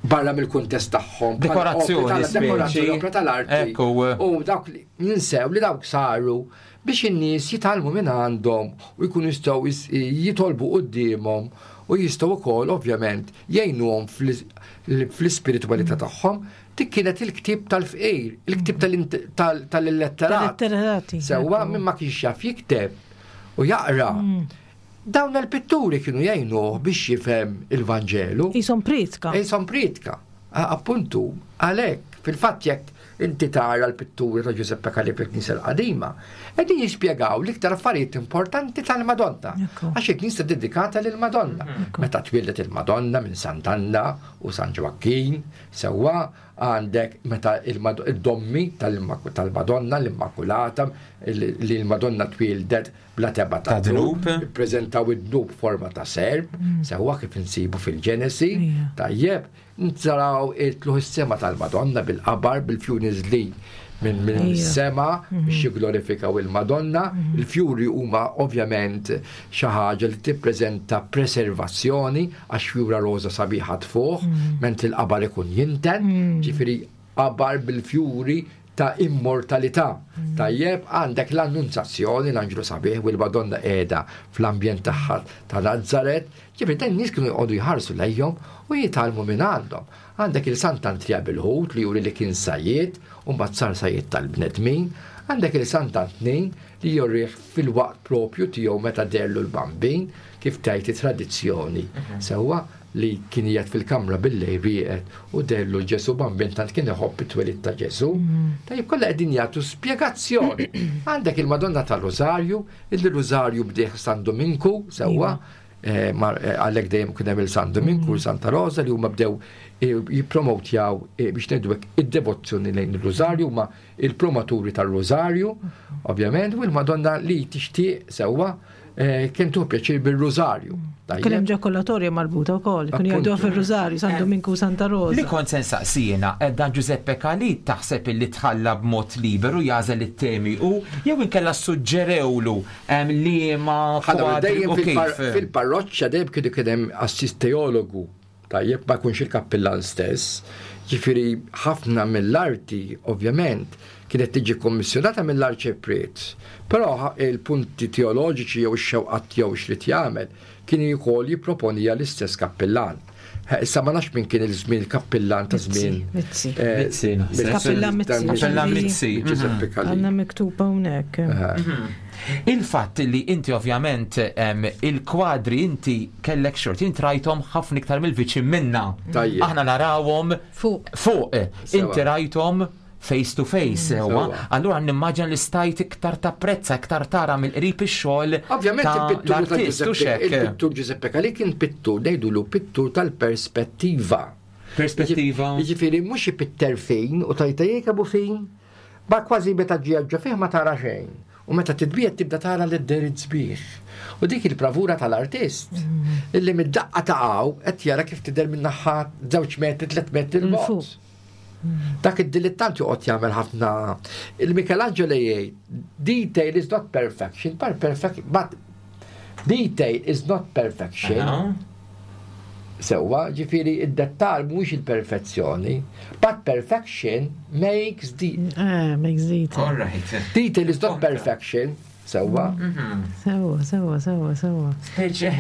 barra mill-kuntest tagħhom. Dekorazzjoni, dekorazzjoni, opra tal-arti. U dawk li ninsew li dawk saru biex in-nies jitgħallmu minn għandhom u jkunu jistgħu jitolbu quddiemhom u jistgħu wkoll ovvjament jgħinuhom fl-ispiritwalità tagħhom. Dik kienet il-ktieb tal-fqir, il-ktieb tal-illetterati. Sewwa minn ma kienx jaf jikteb u jaqra. Dawn il-pitturi kienu jgħinuh biex jifhem il-Vanġelu. Qishom prietka. Qishom prietka. Appuntu, għalhekk, fil-fatt jekk inti tara l-pitturi ta' Giuseppe Calì fil-Knisja l-Qadima, qegħdin jispjegaw l-iktar affarijiet importanti tal-Madonna. Għax il-Knisja dedikata lill-Madonna. Meta twieldet il-Madonna minn Sant'Anna u San Ġwakkin, sewwa għandek meta id-dommi tal-Madonna, l-Immakulata, li l-Madonna twieldet bla tebgħa ta' dnub, ippreżentaw id-dnub forma ta' serp, sewwa kif insibu fil-Ġenesi, tajjeb, naraw it-tluħ is-sema tal-Madonna bil-qabar, bil-fjuri niżlin minn sema biex jigglorifikaw il-Madonna. Il-fjuri huma ovvjament xi ħaġa li tippreżenta preservazzjoni għax fjura roża sabiħa tfuħ, mentri l-qabar ikun jinten, ġifieri qabar bil-fjuri ta' immortalità. Tajjeb, għandek l-Annunzazzjoni, l-Anġlu sabiħ u l-Madonna qiegħda fl-ambjent tagħha ta' Nazaret. Ġifieri dan nies kienu jqogħdu jħarsu lejhom u jitgħallmu minn għandhom. Għandek il-Sant'Antrija bil-ħut li juri li kien sajjied u mbagħad sar sajjied tal-bnedmin. Għandek il-Sant'Antnin li jurih fil-waqt propju tiegħu meta deherlu l-Bambin, kif tgħid it-tradizzjoni. Sewwa, li kien qiegħed fil-kamra bil-lejl rieqed u deherlu Ġesù Bambin tant kien iħobb it-twelid ta' Ġesù. Tajjeb kollha qegħdin jagħtu spjegazzjoni. Għandek il-Madonna tal-Rużarju, illi Rużarju bdieh San Dominku sewwa, eh, eh, għalhekk dejjem kien hemm il-San Dominku u Santa Rosa li huma bdew eh, jippromotjaw biex ngħidu hekk id-devozzjoni lejn ir-Rużarju huma il-promoturi tar-Rużarju, ovvjament, u l-Madonna li tixtieq sewwa eh, kien tuħ pjaċir bil-Rużarju. Kien hemm ġakolatorja marbuta wkoll, kien jgħiduha fir-Rużarju, San Dominku u Santa Rosa. Li kont se nsaqsi jiena, eh, dan Giuseppe Calì taħseb illi tħalla b'mod liberu jagħżel it-temi u jew inkella suġġerewlu liema kwadri u kif. Fil-parroċċa dejjem kienu kien hemm assist teologu Tajjeb ma jkunx il-kappillan stess. Ġifieri ħafna mill-arti, ovvjament, kienet tiġi kommissjonata mill-arċipriet. Però il-punti teoloġiċi jew ix-xewqat tiegħu x'ried jagħmel, kien ukoll jipproponiha l-istess kappillan. Issa ma nafx min kien il-żmien il-kappillan ta' żmien. Mizzi. Mizzi, naħseb. Kappillan Mizzi. Kappillan Mizzi. Giuseppe Calì. Għandna miktub hawnhekk. Il-fatt li inti ovvjament il-kwadri inti kellek xorti, inti rajthom ħafna iktar mill-viċin minna. Tajjeb. Aħna narawhom Fuq. fuq. Inti rajthom face to face sewwa. Sewwa. Allura nimmaġina li stajt iktar tapprezza, iktar tara mill-qrib ix-xogħol Ovvjament ta' il-pittur ta' l-artist u Giuseppe, xek. il-pittur Giuseppe Calì kien pittur, ngħidulu pittur tal-perspettiva. Perspettiva. Jiġifieri mhux ipitter fin u tajta jekabu fin, ba kważi meta ġie fih ma tara xejn. U meta titbiegħed tibda tara li d-derit sbieħ. U dik il-bravura tal-artist, illi mid-daqqa ta' hawn qed jara kif tidher minn naħa żewġ metri, tliet metri 'l bogħod. Dak id-dilettant joqgħod jagħmel ħafna. Il-Michelangelo jgħid, detail is not perfection, but perfect, but detail is not perfection. Sewwa, ġifieri id-dettal mhuwiex il-perfezzjoni, but perfection makes the Eh, makes detail. All right. Detail is not perfection, sewwa. Sewwa, sewwa, sewwa, sewwa. Speċi,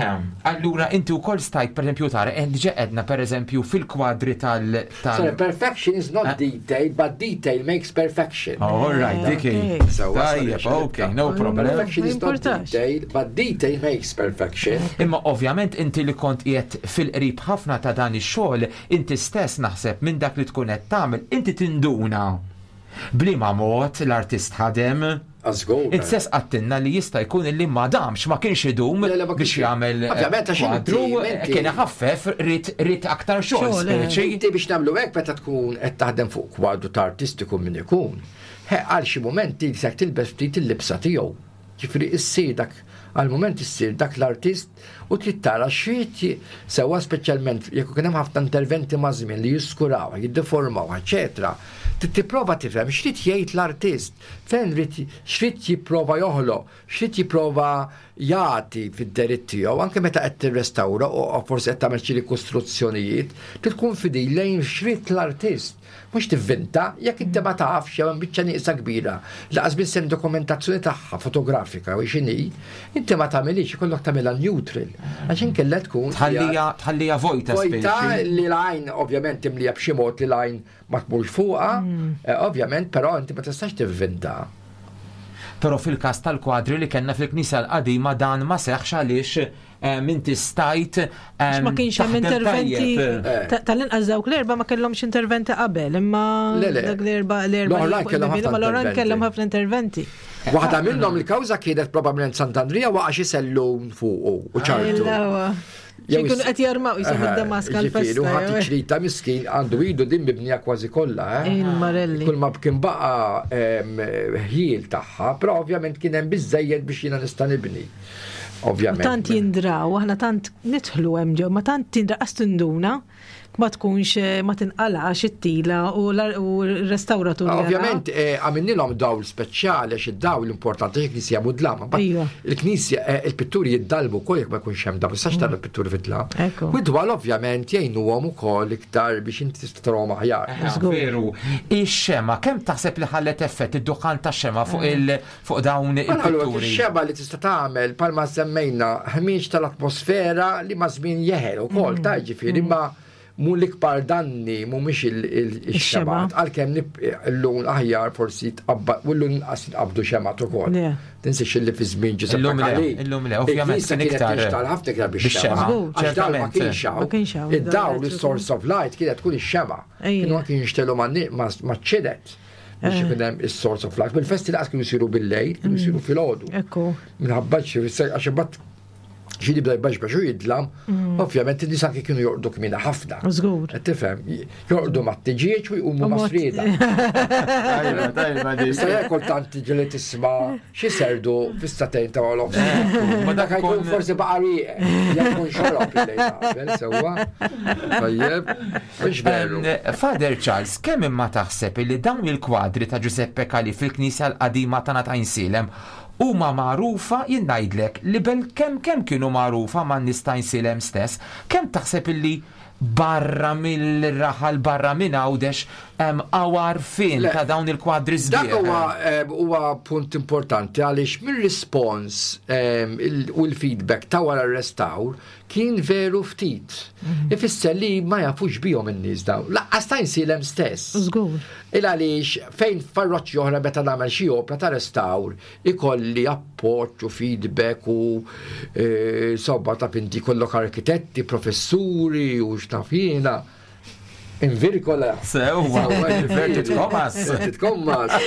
Allura inti wkoll stajt pereżempju tara eh, diġà għedna pereżempju fil-kwadri tal Sorry, perfection is not detail, but detail makes perfection. Oh, all right, dik hi. Okay. Sewwa, Tajjeb, sorry, okay, no problem. Perfection is Ma not jimpurtax. detail, but detail makes perfection. Imma ovvjament inti li kont qiegħed fil-qrib ħafna ta' dan ix-xogħol, inti stess naħseb minn dak li tkun qed tagħmel, inti tinduna. B'liema mod l-artist ħadem. Għażgur. Inti stess għedtilna li jista' jkun illi ma damx ma kienx idum Le, le, ma biex kienx- jagħmel eh, Ovvjament, għax inti- kwadru, inti- kien ħaffef ried ried aktar xogħol Xogħol, eh. speċi. Inti biex nagħmlu hekk meta tkun qed taħdem fuq kwadru ta' artistiku min ikun. He, għal xi mumenti se tilbes ftit il-libsa tiegħu. Ġifieri issir dak għal-moment issir dak l-artist u trid tara x'rid sewwa speċjalment jekk ikun hemm ħafna interventi ma' żmien li jiskuraw, jiddeformaw, eċetera. Trid tipprova tifhem x'rid jgħid l-artist, fejn rid x'rid jipprova joħloq, x'rid jipprova jagħti fid-deritt tiegħu anke meta qed tirrestawra u forsi qed tagħmel xi rikostruzzjonijiet, trid tkun fidil lejn x'ried l-artist. Mhux tivvinta, jekk inti ma tafx jew hemm biċċa nieqsa kbira li qas biss hemm dokumentazzjoni tagħha fotografika u x'inhi, inti ma tagħmilhiex, ikollok tagħmilha neutral. Għax inkella tkun Tħallija tħallija vojta Vojta li l-għajn ovvjament timlija b'xi mod li l-għajn ma tmurx fuqha, eh, ovvjament, però inti ma tistax tivvinta. Però fil-każ tal-kwadri li kellna fil-Knisja l-qadima dan ma seħħx għaliex eh, inti stajt eh, ma kienx hemm interventi eh. tal-inqas dawk l-erba' ma kellhomx interventi qabel, imma dak l-erba' l-erba' l-oħrajn kellhom ħafna interventi. Waħda minnhom il-kawża kienet probabbilment Sant'Andrija waqa' xi sellum fuqu u ċartu. Jew ikunu qed jarmaw jisom id-Damaska l-festa. U ħadd ċrita miskin għandu idu din mibnija kważi kollha. Eh? Il-Marelli. Kull ma kien baqa ħjiel tagħha, però ovvjament kien hemm biżejjed biex jiena nista' nibni. Ovvjament. Tant jindraw, aħna tant nidħlu hemm ġew, ma tant tindra qas tinduna ma tkunx eh, ma tinqalax it-tila u l-restawratur. Ovvjament eh, għamilnilhom dawl speċjali għax id-dawl importanti għax il-knisja mudlama. Iva. Il-knisja eh, il-pitturi jiddalmu wkoll jekk ma jkunx hemm dawl, tistax tara l-pitturi fid-dlam. U d-dwal ovvjament jgħinuhom ukoll iktar biex inti tista' tarahom aħjar. Veru. Ix-xema kemm taħseb li ħallet effett id-duħan tax-xema fuq il fuq dawn il-pitturi. Ix-xeba li tista' tagħmel palma semmejna ħmieġ tal-atmosfera li ma' żmien jeħel ukoll mm. ta' ġifieri mm. ma mu l-ikbar danni mhumiex il-xemat, għalkemm l-lun aħjar forsi tqabbad u l-lun inqas jitqabdu xemat ukoll. Tinsiex li fi żmien ġisem Illum le, illum le, ovvjament kien iktar. Ħafna iktar biex xema. Għax dawl ma kienx hawn. Id-dawl, is-source of light kienet tkun ix-xema. Kienu anki jinxtelu ma' ċidet. biex eh. ikun hemm is-source of life. Bil-festi laqas kienu jsiru bil-lejl, kienu jsiru mm. filgħodu. Ekku. Minħabba xi għax imbagħad xi jibda jbaxbax u jidlam, mm. ovvjament in-nies anke kienu jorqdu kmina ħafna. Żgur. Qed tifhem, jorqdu mat-tiġieġ u jqumu ma' srieda. Tajba, tajba di. Sa kultant tiġi li tisma' xi serdu fis-satejn ta' għolof. Ma dak jkun forsi baqa' rieq, jekk xorob il-lejl sewwa. Tajjeb. Mhux veru. Father Charles, kemm imma taħseb illi dawn il-kwadri ta' Giuseppe Calì fil-knisja l-qadima tagħna ta' Għajnsielem huma magħrufa, jien ngħidlek li belkemm kemm kienu magħrufa man-nies ta' Għajnsielem stess, kemm taħseb illi barra mill-raħal, barra minn Għawdex hemm hawn għarfien ta' dawn il-kwadri sbieħ? Dak huwa punt importanti għaliex mir-rispons u l-feedback ta' wara r-restawr Kien veru ftit. Ifisser li ma jafux bihom in-nies dawn. Laqqas ta' Għajnsielem stess. Żgur. Il għaliex fejn f'parroċċi oħra meta nagħmel xi opra ta' restawr ikolli appoġġ u feedback u insomma ta' pinti jkollok arkitetti, professuri u x'naf jiena. In virgola. Sewwa, inverted commas. Inverted commas.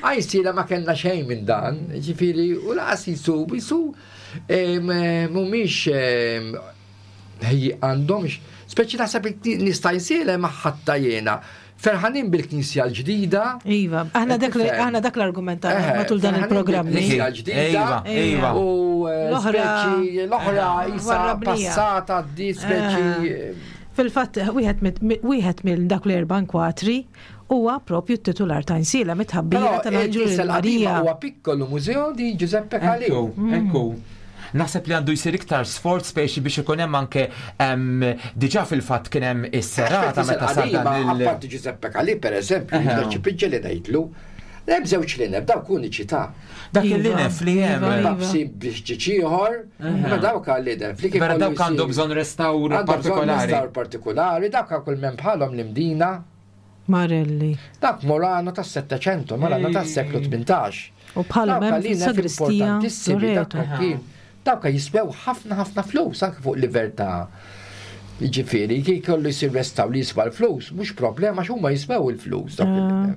Għajnsielem ma kellna xejn minn dan, ġifieri u laqas jisu, jisu Mhumiex għandhomx, speċi naħseb nista' jsielem ħatta jiena. Ferħanin bil-Knisja l-ġdida. Iva, aħna dak aħna dak l-argument matul dan il-programm. Knisja l-ġdida. Iva, iva. U eh, l-oħra l-oħra isa passata di speċi. Fil-fatt, wieħed minn dak l-erba' nkwatri huwa propju t-titular ta' Insiela mit-tħabbira tal-Anġlu Marija. Huwa piccolo museo di Giuseppe Calì. Ekku, mm. ekku. Naħseb li għandu jsir iktar sforz speċi biex ikun hemm anke diġà fil-fatt kien hemm is-serata meta sar dan il. Apparti Giuseppe Calì pereżempju, ċi piġġeli ngħidlu, hemm żewġ linef dawk uniċi ta' Dak iva. il-linef li hemm. Iva, iva. Babsi biex ġiċ ieħor, ma dawk għal-linef li kif. Vera dawk għandhom bżonn restawr partikolari. Restawr partikolari, dawk kull minn bħalhom l-imdina. Marelli. Dak Morano tas-Settecento, Morano tas-seklu 18. U bħalhom hemm fis-sagristija Loreto. Dawk jiswew ħafna ħafna flus anke fuq livell ta' Ġifieri, kif kollu jsir restaw li jiswa l-flus, mhux problema għax huma jiswew il-flus. Ah.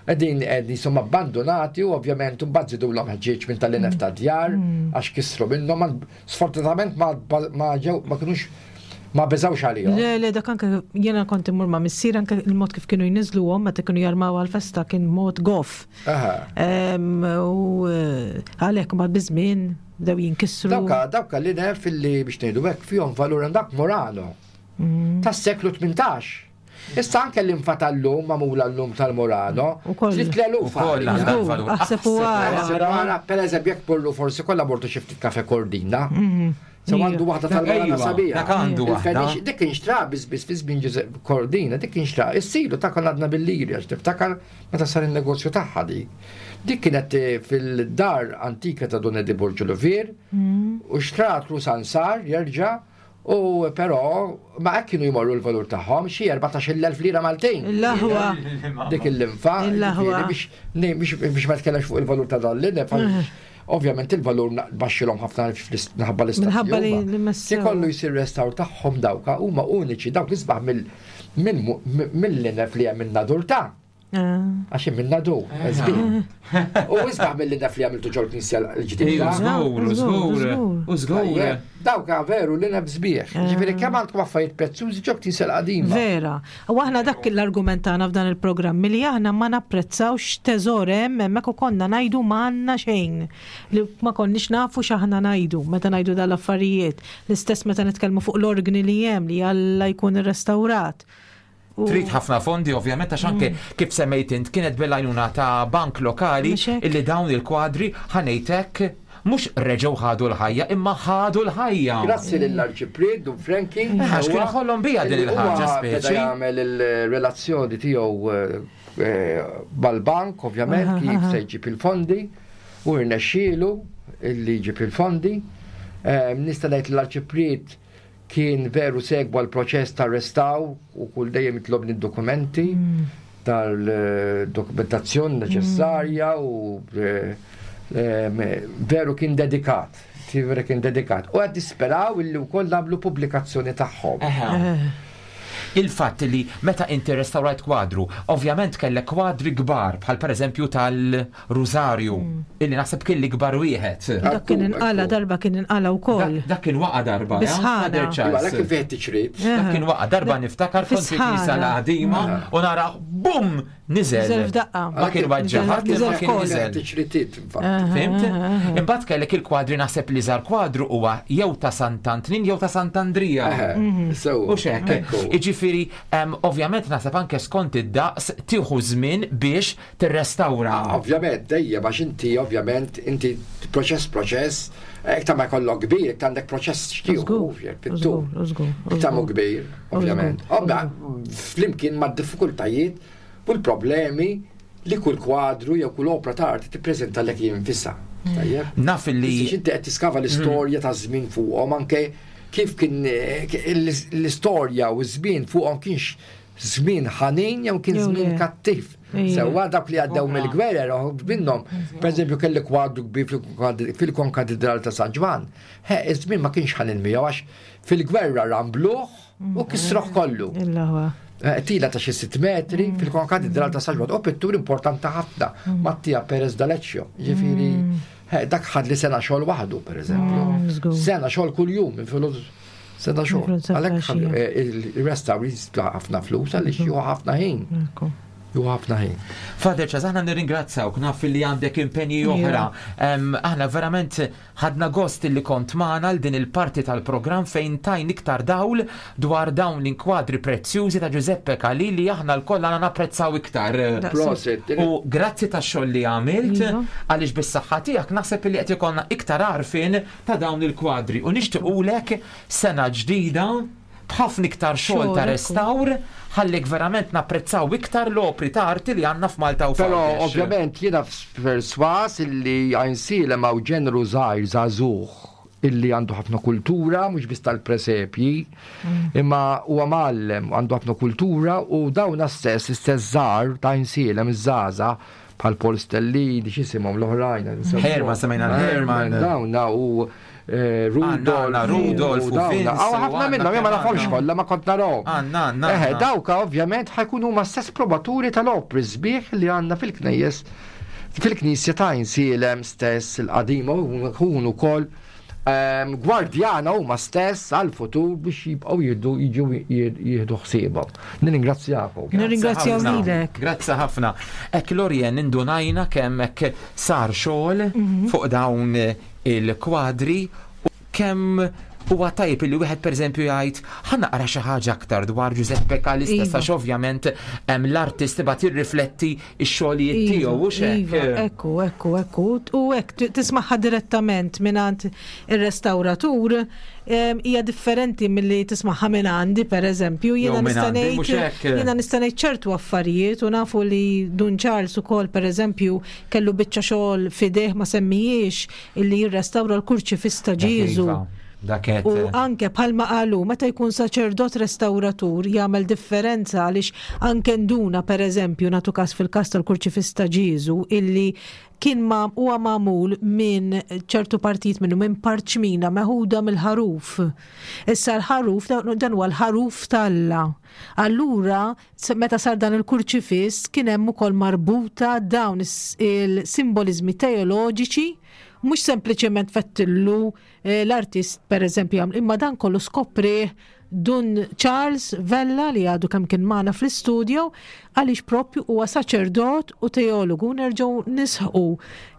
Qegħdin qegħdin insomma abbandunati u ovvjament imbagħad żidulhom ħġieġ minn tal-inef ta' djar mm. għax kisru minnhom. Sfortunatament ma ġew ma kinux Ma beżawx għalihom. Le, le, dak anke jiena kont immur ma' missier anke il-mod kif kienu jniżluhom meta kienu jarmaw għal-festa kien mod goff. U eh, għalhekk ma biżmien bdew jinkisru. Dawka, dawka li nef illi biex ngħidu hekk fihom valur dak Murano. Mm. Tas-seklu 18. Issa anke l-infa tal-lum magħmula llum tal-Murano, trid l-eluf. Aħseb u ara. Per eżempju, jekk pollu forsi kollha mortu xi ftit kafe Kordina. Mhm. Se għandu waħda tal-Murano sabiħa. Dak għandu waħda. Dik kien xtra biss biss fi żmien Giuseppe Cordina, dik kien xtra. Issilu ta' konna għadna bil-liri għax tiftakar meta sar in-negozju tagħha dik. Dik kienet eh, fil-dar antika ta' Don Edi Borġu Luvier mm. u xtratlu Sansar jerġa' U però ma hekk kienu jmorru l-valur tagħhom xi 14,000 lira Maltin. Il-aħwa. Dik il-linfa. Il-aħwa. Biex ma tkellemx fuq il-valur ta' dan l-linfa. Eh. Ovvjament il-valur baxxilhom ħafna minħabba l-istat. Minħabba li messew. Ikollu jsir restawr tagħhom dawka huma uniċi dawk isbaħ mill-linef li hemm in-nadur ta' ah. Għax hemm in-nadur, eh. U isbaħ mill-linef li għamiltu ġol knisja l-ġdida. Żgur, żgur, u żgur. Dawk veru l-ineb sbieħ. Eh. Ġifieri kemm għandkom affarijiet prezzjużi ġol knisja l-qadima. Vera. U aħna dak l-argument tagħna f'dan il-programm li aħna ma napprezzawx teżor hemm hemmhekk u konna ngħidu ma għandna xejn li ma konniex nafu x'aħna ngħidu meta ngħidu dal-affarijiet. L-istess meta nitkellmu fuq l-organi li hemm li Alla jkun irrestawrat. Trid ħafna fondi ovvjament għax anke mm. kif semmejt int kienet bil-għajnuna ta' bank lokali illi dawn il-kwadri ħanejtek mhux reġgħu ħadu l-ħajja imma ħadu l-ħajja. Grazzi lill-Arċipriet Dun Frankie. Eh, għax kien ħollhom bija din il-ħaġa speċi. Jagħmel il-relazzjoni tiegħu eh, mal-bank ovvjament kif se jġib il-fondi u rnexxielu illi jġib il-fondi. Eh, nista' ngħid l-Arċipriet Kien veru segwa l-proċess ta' restawr u kull dejjem jitlobni d-dokumenti mm. tal-dokumentazzjoni neċessarja u eh, eh, veru kien dedikat. Veru kien dedikat. U għad disperaw illi wkoll nagħmlu pubblikazzjoni tagħhom. Il-fatt li meta inti restawrajt kwadru, ovvjament kellek kwadri kbar bħal pereżempju tal- Rużarju, mm. illi naħseb kien l-ikbar wieħed. Dak kien inqala darba kien inqala wkoll. Dak kien waqa darba. Bisħana. Iva, dak kien fih tiċrit. Dak kien waqa darba niftakar kont fi knisja l-qadima u nara bum niżel. Niżel f'daqqa. Ma kien waġġaħat, ma kien niżel. Tiċritit. Fimt? Imbagħad kellek il-kwadri naħseb li żar kwadru huwa jew ta' Sant'Antnin jew ta' Sant'Andrija. Mhm. U xek. Iġifieri, ovvjament naħseb anke skont id-daqs tieħu żmien biex tirrestawra. Ovvjament, dejjem għax inti ovvjament inti proċess proċess, iktar ma jkollok kbir, iktar għandek proċess xtieħu, fit-tul. Iktar mu kbir, ovvjament. Obba, flimkien ma' diffikultajiet u l-problemi li kull kwadru jew kull opra ta' arti tippreżenta lek jinfisha. Tajjeb? Naf li. Inti qed tiskava l-istorja ta' żmien fuqhom anke kif kien eh, l-istorja u ż-żmien fuqhom kienx żmien ħanin jew kien żmien kattiv. Sewwa dawk li għaddew mill-gwerer minnhom, pereżempju kelli kwadru kbir fil-Konkatedral ta' San Ġwann. He, iż-żmien ma kienx ħanin miegħu għax fil-gwerra rambluh u kisroh kollu. Eh, tila ta' xi sitt metri mm. fil-Konkatedral ta' San Ġwann u pittur importanti ħafna, mm. Mattia Perez d'Aleccio. Ġifieri, mm. eh, dak ħad li sena xogħol waħdu, pereżempju. Sena xogħol kuljum minn Sena xogħol. Għalhekk eh, il-restawr jisla ħafna flus għaliex juhu ħafna ħin. Juhu ħafna ħin. Father Charles, aħna nirringrazzawk, naf li għandek impenji oħra. Aħna verament ħadna gost li kont magħna l din il-parti tal-programm fejn tajn iktar dawl dwar dawn l-inkwadri prezzjużi ta' Giuseppe Calì li aħna lkoll għandna napprezzaw iktar. Prosit. U grazzi tax-xogħol li għamilt iva. għaliex bis-saħħa tiegħek naħseb li qed ikollna iktar għarfien ta' dawn il-kwadri u nixtiqulek sena ġdida b'ħafna iktar xogħol ta' restawr ħallik verament napprezzaw iktar l-opri ta' arti li għandna f'Malta u Però ovvjament jiena perswas illi Għajnsielem hawn ġenru żgħir żagħżugħ illi għandu ħafna kultura, mhux biss tal-presepji, mm. imma huwa mgħallem għandu ħafna kultura u dawna stess, l-istess żgħar ta' Għajnsielem iż-żgħażagħ bħal Paul Stellini, x'isimhom l-oħrajn. Herman, semmejna Herman. Dawna u eh, Rudolf. Rudolf u dawna. Ħafna minnhom, jien ma nafhomx kollha ma kont narahom. Għandna, għandna. Eh, dawka ovvjament ħajkunu huma stess probaturi tal-opri sbieħ li għandna fil-knejjes fil-knisja ta' Insielem stess il-qadima u kunu wkoll. Gwardjana huma stess għall-futur biex jibqgħu jieħdu jiġu jieħdu ħsiebhom. Nirringrazzjakom. Nirringrazzjaw lilek. Grazzi ħafna. Hekk Lorien indunajna kemm hekk sar xogħol mhm. fuq dawn il-kwadri u kemm huwa tajjeb li wieħed pereżempju jgħid ħa naqra xi ħaġa aktar dwar Giuseppe Cali stess iva. għax ovvjament l-artist imbagħad jirrifletti x-xogħlijiet iva, tiegħu u x'hekk. Iva, ekku, ekku, ekku. U hekk tismagħha direttament mingħand ir-restawratur hija differenti milli tismagħha minn għandi pereżempju. Jiena nista' ngħid jiena nista' ngħid ċertu affarijiet u nafu li Dun Charles ukoll pereżempju kellu biċċa xogħol f'idejh ma semmijiex illi jirrestawra l-kurċifiss ta' Ġieżu. Iva, u anke bħalma qalu meta jkun saċerdot restawratur jagħmel differenza għaliex anke nduna pereżempju nagħtu każ fil-każ tal-kurċifiss ta' Ġieżu illi kien ma huwa magħmul minn ċertu partijiet minnu minn parċmina meħuda mill-ħaruf. Issa l-ħaruf dan huwa l-ħaruf t'Alla. Allura meta sar dan il-kurċifiss kien hemm ukoll marbuta dawn il-simboliżmi teoloġiċi, mhux sempliċement fettillu eh, l-artist pereżempju jagħmel, imma dan kollu skoprih Dun Charles Vella li għadu kemm kien magħna fl-istudio għaliex propju huwa saċerdot u teologu nerġgħu nisħqu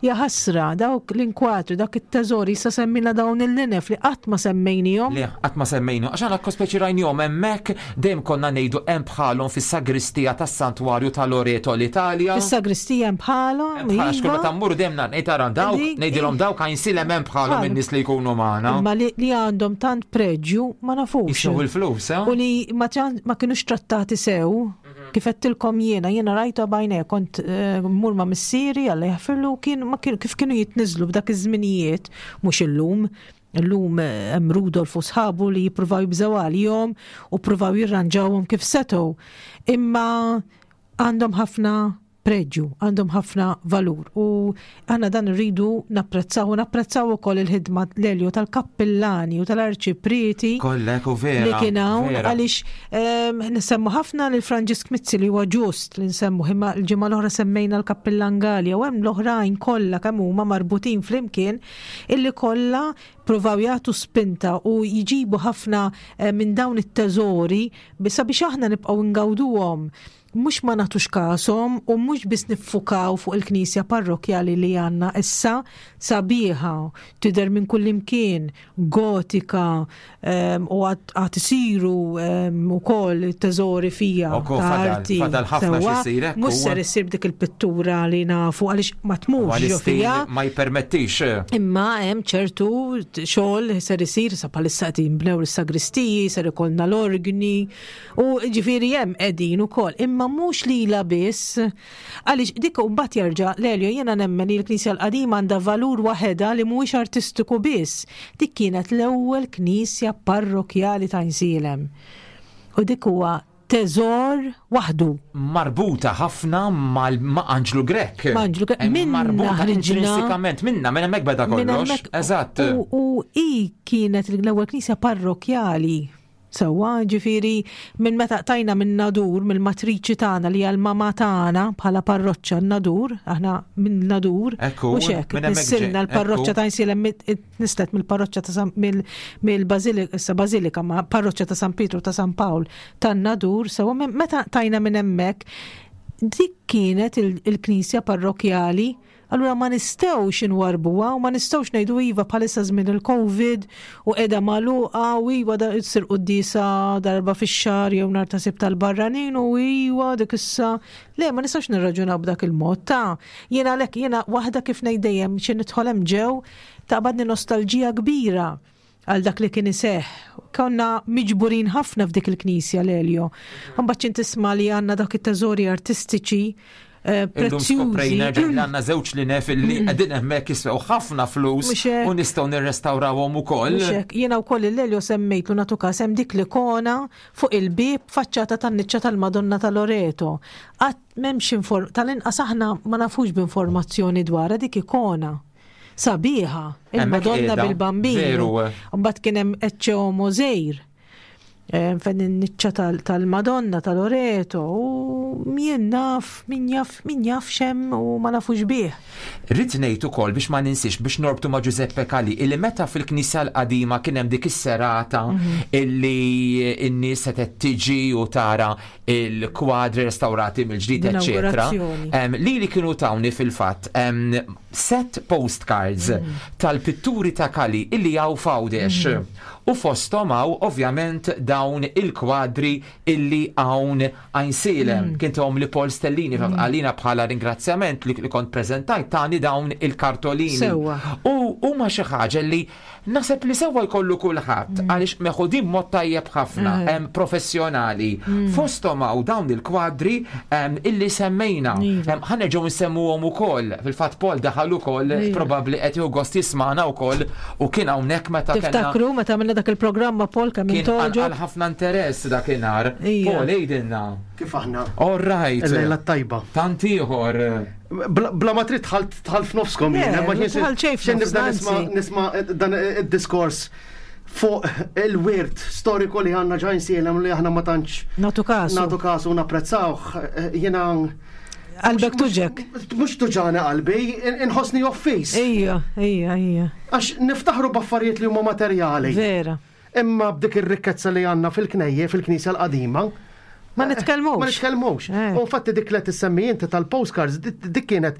Ja ħasra, dawk l-inkwatri, dawk it-teżori, issa semmilna dawn il-linef li qatt ma semmejnihom. Le, qatt ma semmejnihom, għax aħna speċi rajnihom hemmhekk, dejjem konna ngħidu hemm bħalhom fis-sagristija tas-Santwarju ta' Loreto l-Italja. Fis-sagristija hemm bħalhom, iva. Għax kull meta mmur dejjem ngħid ara dawk, ngħidilhom dawk għajnsilem hemm bħalhom in-nies li jkunu magħna. Imma li għandhom tant preġju ma nafux. Jiswew il-flus, eh? U li ma kinux trattati sew. Kif għedtilkom jiena, jiena rajtu b'għajnejja, kont eh, mmur ma' missieri, Alla jaħfirlu, kien ma kien kif kienu jitniżlu b'dak iż-żminijiet, mhux illum. Illum eh, hemm Rudolf u sħabu li jippruvaw jibżgħu għalihom u ppruvaw jirranġawhom kif setgħu. Imma għandhom ħafna preġju, għandhom ħafna valur u aħna dan irridu napprezzaw u napprezzaw ukoll il-ħidma l-Elio tal-kappillani u tal-arċiprieti Kollek u vera. li kien hawn għaliex ehm, nsemmu ħafna lil Franġisk Mizzi li huwa ġust li nsemmu imma l-ġimgħa l-oħra semmejna l-kappillan Galea u hemm l-oħrajn kollha kemm huma marbutin flimkien illi kollha provaw jagħtu spinta u jġibu ħafna eh, minn dawn it-teżori sabiex aħna nibqgħu ngawduhom mhux ma nagħtux kashom u mhux biss niffukaw fuq il-knisja parrokkjali li għandna issa, sabiħa, tidher minn kullimkien, gotika, ehm, u għad isiru ehm, ukoll teżori fija ta' arti. Fadal ħafna x'isir hekk. Mhux ser issir b'dik il-pittura li nafu għaliex ma tmurx ġo fija. Ma jippermettix. Imma hemm ċertu xogħol ser isir sa bħalissa qed jinbnew is-sagristiji, ser ikollna l-orgni, U ġifieri hemm qegħdin ukoll, imma mhux lilha biss. Għaliex dik mbagħad jerġa' Lelio jiena nemmen li l-Knisja l-qadima għandha valur waħedha li mhuwiex artistiku biss. Dik kienet l-ewwel knisja parrokkjali ta' Għajnsielem. U dik huwa teżor waħdu. Marbuta ħafna mal ma' Anġlu Grech. Ma' Anġlu Grech. Minna Marbuta ħriġna. intrinsikament minna, minn hemmhekk beda Minn kollox. hemmhekk. Eżatt. U, u hi kienet l-ewwel knisja parrokkjali. Sewwa, ġifieri minn meta qtajna minn Nadur, mill-matriċi tagħna li hija l-mama tagħna bħala parroċċa n-Nadur, aħna minn Nadur, Ekku, mhux hekk, minn hemmhekk nissilna ġej, l-parroċċa ekku. ta' Għajnsielem nislet mill-parroċċa ta' San mill-Bażilika, issa Bażilika, ma parroċċa ta' San Pietru ta' San Pawl tan-Nadur, sewwa meta qtajna minn hemmhekk, dik kienet il-knisja parrokkjali. Allura ma nistgħux inwarrbuha u ma nistgħux ngħidu iva bħalissa żmien il-Covid u qiegħda magħluqa u iva da ssir quddiesa darba fix-xahar jew nhar ta' Sibt tal-barranin u iva dik issa. Le, ma nistgħux nirraġunaw b'dak il-mod ta' jiena għalhekk jiena waħda kif ngħid dejjem xi nidħol hemm ġew taqbadni nostalġija kbira għal dak li kien iseħħ. Konna miġburin ħafna f'dik il-knisja l-Elio. Mbagħad x'int tisma' li għandna dak it-teżori artistiċi eh, Illum skoprejna prezzjużi. li għandna żewġ li nef li qegħdin hemmhekk jiswew ħafna flus Mhux hekk. u nistgħu nirrestawrawhom ukoll. Mhux hekk. Jiena wkoll il-Elio semmejtlu nagħtu każ hemm dik l-ikona fuq il-bieb faċċata tan-niċċa tal-Madonna ta' Loreto. Qatt m'hemmx inform tal-inqas aħna ma nafux b'informazzjoni dwarha dik ikona. Sabiħa, il-Madonna bil-Bambin. Veru. Mbagħad kien hemm Ecce Homo żgħir. Fejn in-niċċa tal-Madonna ta' Loreto u jien naf, min jaf, min jaf x'hemm u ma nafux bih. Ridt ngħid ukoll biex ma ninsiex biex norbtu ma' Giuseppe Calì illi meta fil-knisja l-qadima kien hemm dik is-serata illi n-nies setgħet tiġi u tara il-kwadri restawrati mill-ġdid eċċetera. Lili kienu tawni fil-fatt set postcards tal-pitturi ta' Calì illi hawn f'Għawdex. U fosthom hawn ovvjament dawn il-kwadri illi hawn Għajnsielem. Kien tahom li Paul Stellini għalina bħala ringrazzjament li kont preżentajt tani dawn il-kartolini. Sewwa. U huma xi ħaġa li naħseb li sewwa jkollu kulħadd għaliex meħudin b'mod tajjeb ħafna, professjonali. Fosthom hawn dawn il-kwadri illi semmejna. Ħa nerġgħu nsemmuhom ukoll. Fil-fatt Paul daħal ukoll, probabbli qed jieħu gost jismagħna wkoll u kien hawnhekk meta kellna. Tiftakru meta għamilna dak il-programm ma' Paul kemm Kien intoġob? qanqal ħafna interess dakinhar. Paul, għidilna. Kif aħna? All right. Il-lejla t-tajba. Tant ieħor. Bla ma trid dħalt dħalt f'nofskom jien, Le, ma ma dħalt xejn xejn nibda f'nofsna, nisma' anzi. nisma' dan id-diskors fuq il-wirt storiku li għandna ġa Għajnsielem li aħna ma tantx Nagħtu kasu. nagħtu kasu u napprezzawh. Jiena Qalbek tuġek. Mhux tuġani qalbi, inħossni offiż. Ija, ija, ija. Għax niftaħru b'affarijiet li huma materjali. Vera. Imma b'dik ir-rikkezza li għandna fil-knejje, fil-knisja l-qadima. Ma nitkellmux. Ma nitkellmux. Eh. U infatti dik li tissemmi inti tal-postcards, dik kienet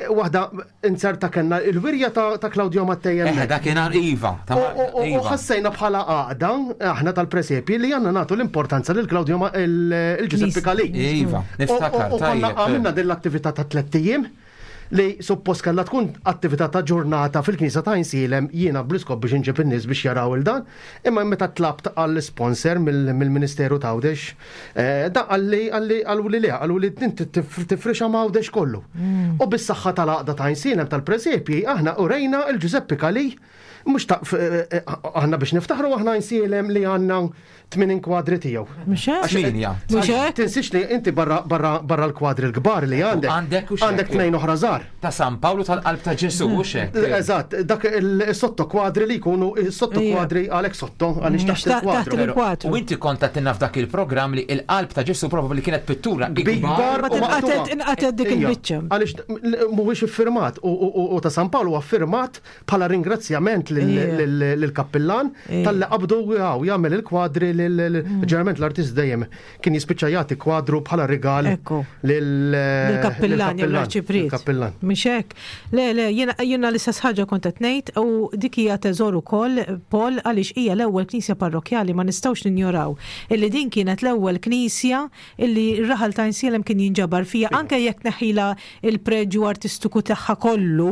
waħda inzerta kellna il-wirja ta' Claudio Mattei Eh, hemmhekk. dakinhar iva. U Iva. ħassejna bħala għaqda, aħna tal-presepji, li għandna nagħtu l-importanza lil Claudio il-Giuseppe Calì. Iva, niftakar. U konna tajjeb. għamilna din l-attività ta' tlett ijiem li suppost kellha tkun attività ta' ġurnata fil-Knisja ta' Għajnsielem jiena bl-iskop biex inġib in-nies biex jaraw il dan, imma meta tlabt għall-sponsor mill-Ministeru ta' Għawdex, dan qalli qalli qaluli le, qaluli inti tifrixha ma' Għawdex kollu. U bis-saħħa tal-għaqda ta' Għajnsielem tal-presepji aħna urejna il-Ġużeppi Calì mhux ta' aħna biex niftaħru aħna Għajnsielem li għandna 80 kwadri tiegħu. Mhux hekk? Tminja. Mhux hekk? Tinsiex li inti barra barra barra l-kwadri l-kbar li għandek. Għandek u x'hekk. Għandek tnejn oħra żgħar. Ta' San Pawlu tal-Qalb ta' Ġesù u x'hekk. Eżatt, dak il-sotto kwadri li jkunu sotto kwadri għalhekk sotto għaliex taħt Taħt il-kwadru. il-kwadru. U inti kont għedtilna f'dak il-programm li l-Qalb ta' Ġesù probabbli kienet pittura Kbar ikbar u Mbagħad maqtugħa. inqatgħet dik Ija, il-biċċa. Għaliex mhuwiex iffirmat u ta' San Pawl huwa ffirmat bħala ringrazzjament lill-kappillan talli qabdu għaw jagħmel il-kwadri ġeneralment l-artist dejjem kien jispiċċa jagħti kwadru bħala rigal lill-kappillan jew l-arċipriet. Kappillan. Mhux hekk. Le, le, jiena l-istess ħaġa kont qed ngħid u dik hija teżor ukoll Paul għaliex hija l-ewwel knisja parrokkjali ma nistgħux ninjoraw illi din kienet l-ewwel knisja illi r-raħal ta' Għajnsielem kien jinġabar fiha anke jekk neħħilha il-preġju artistiku tagħha kollu.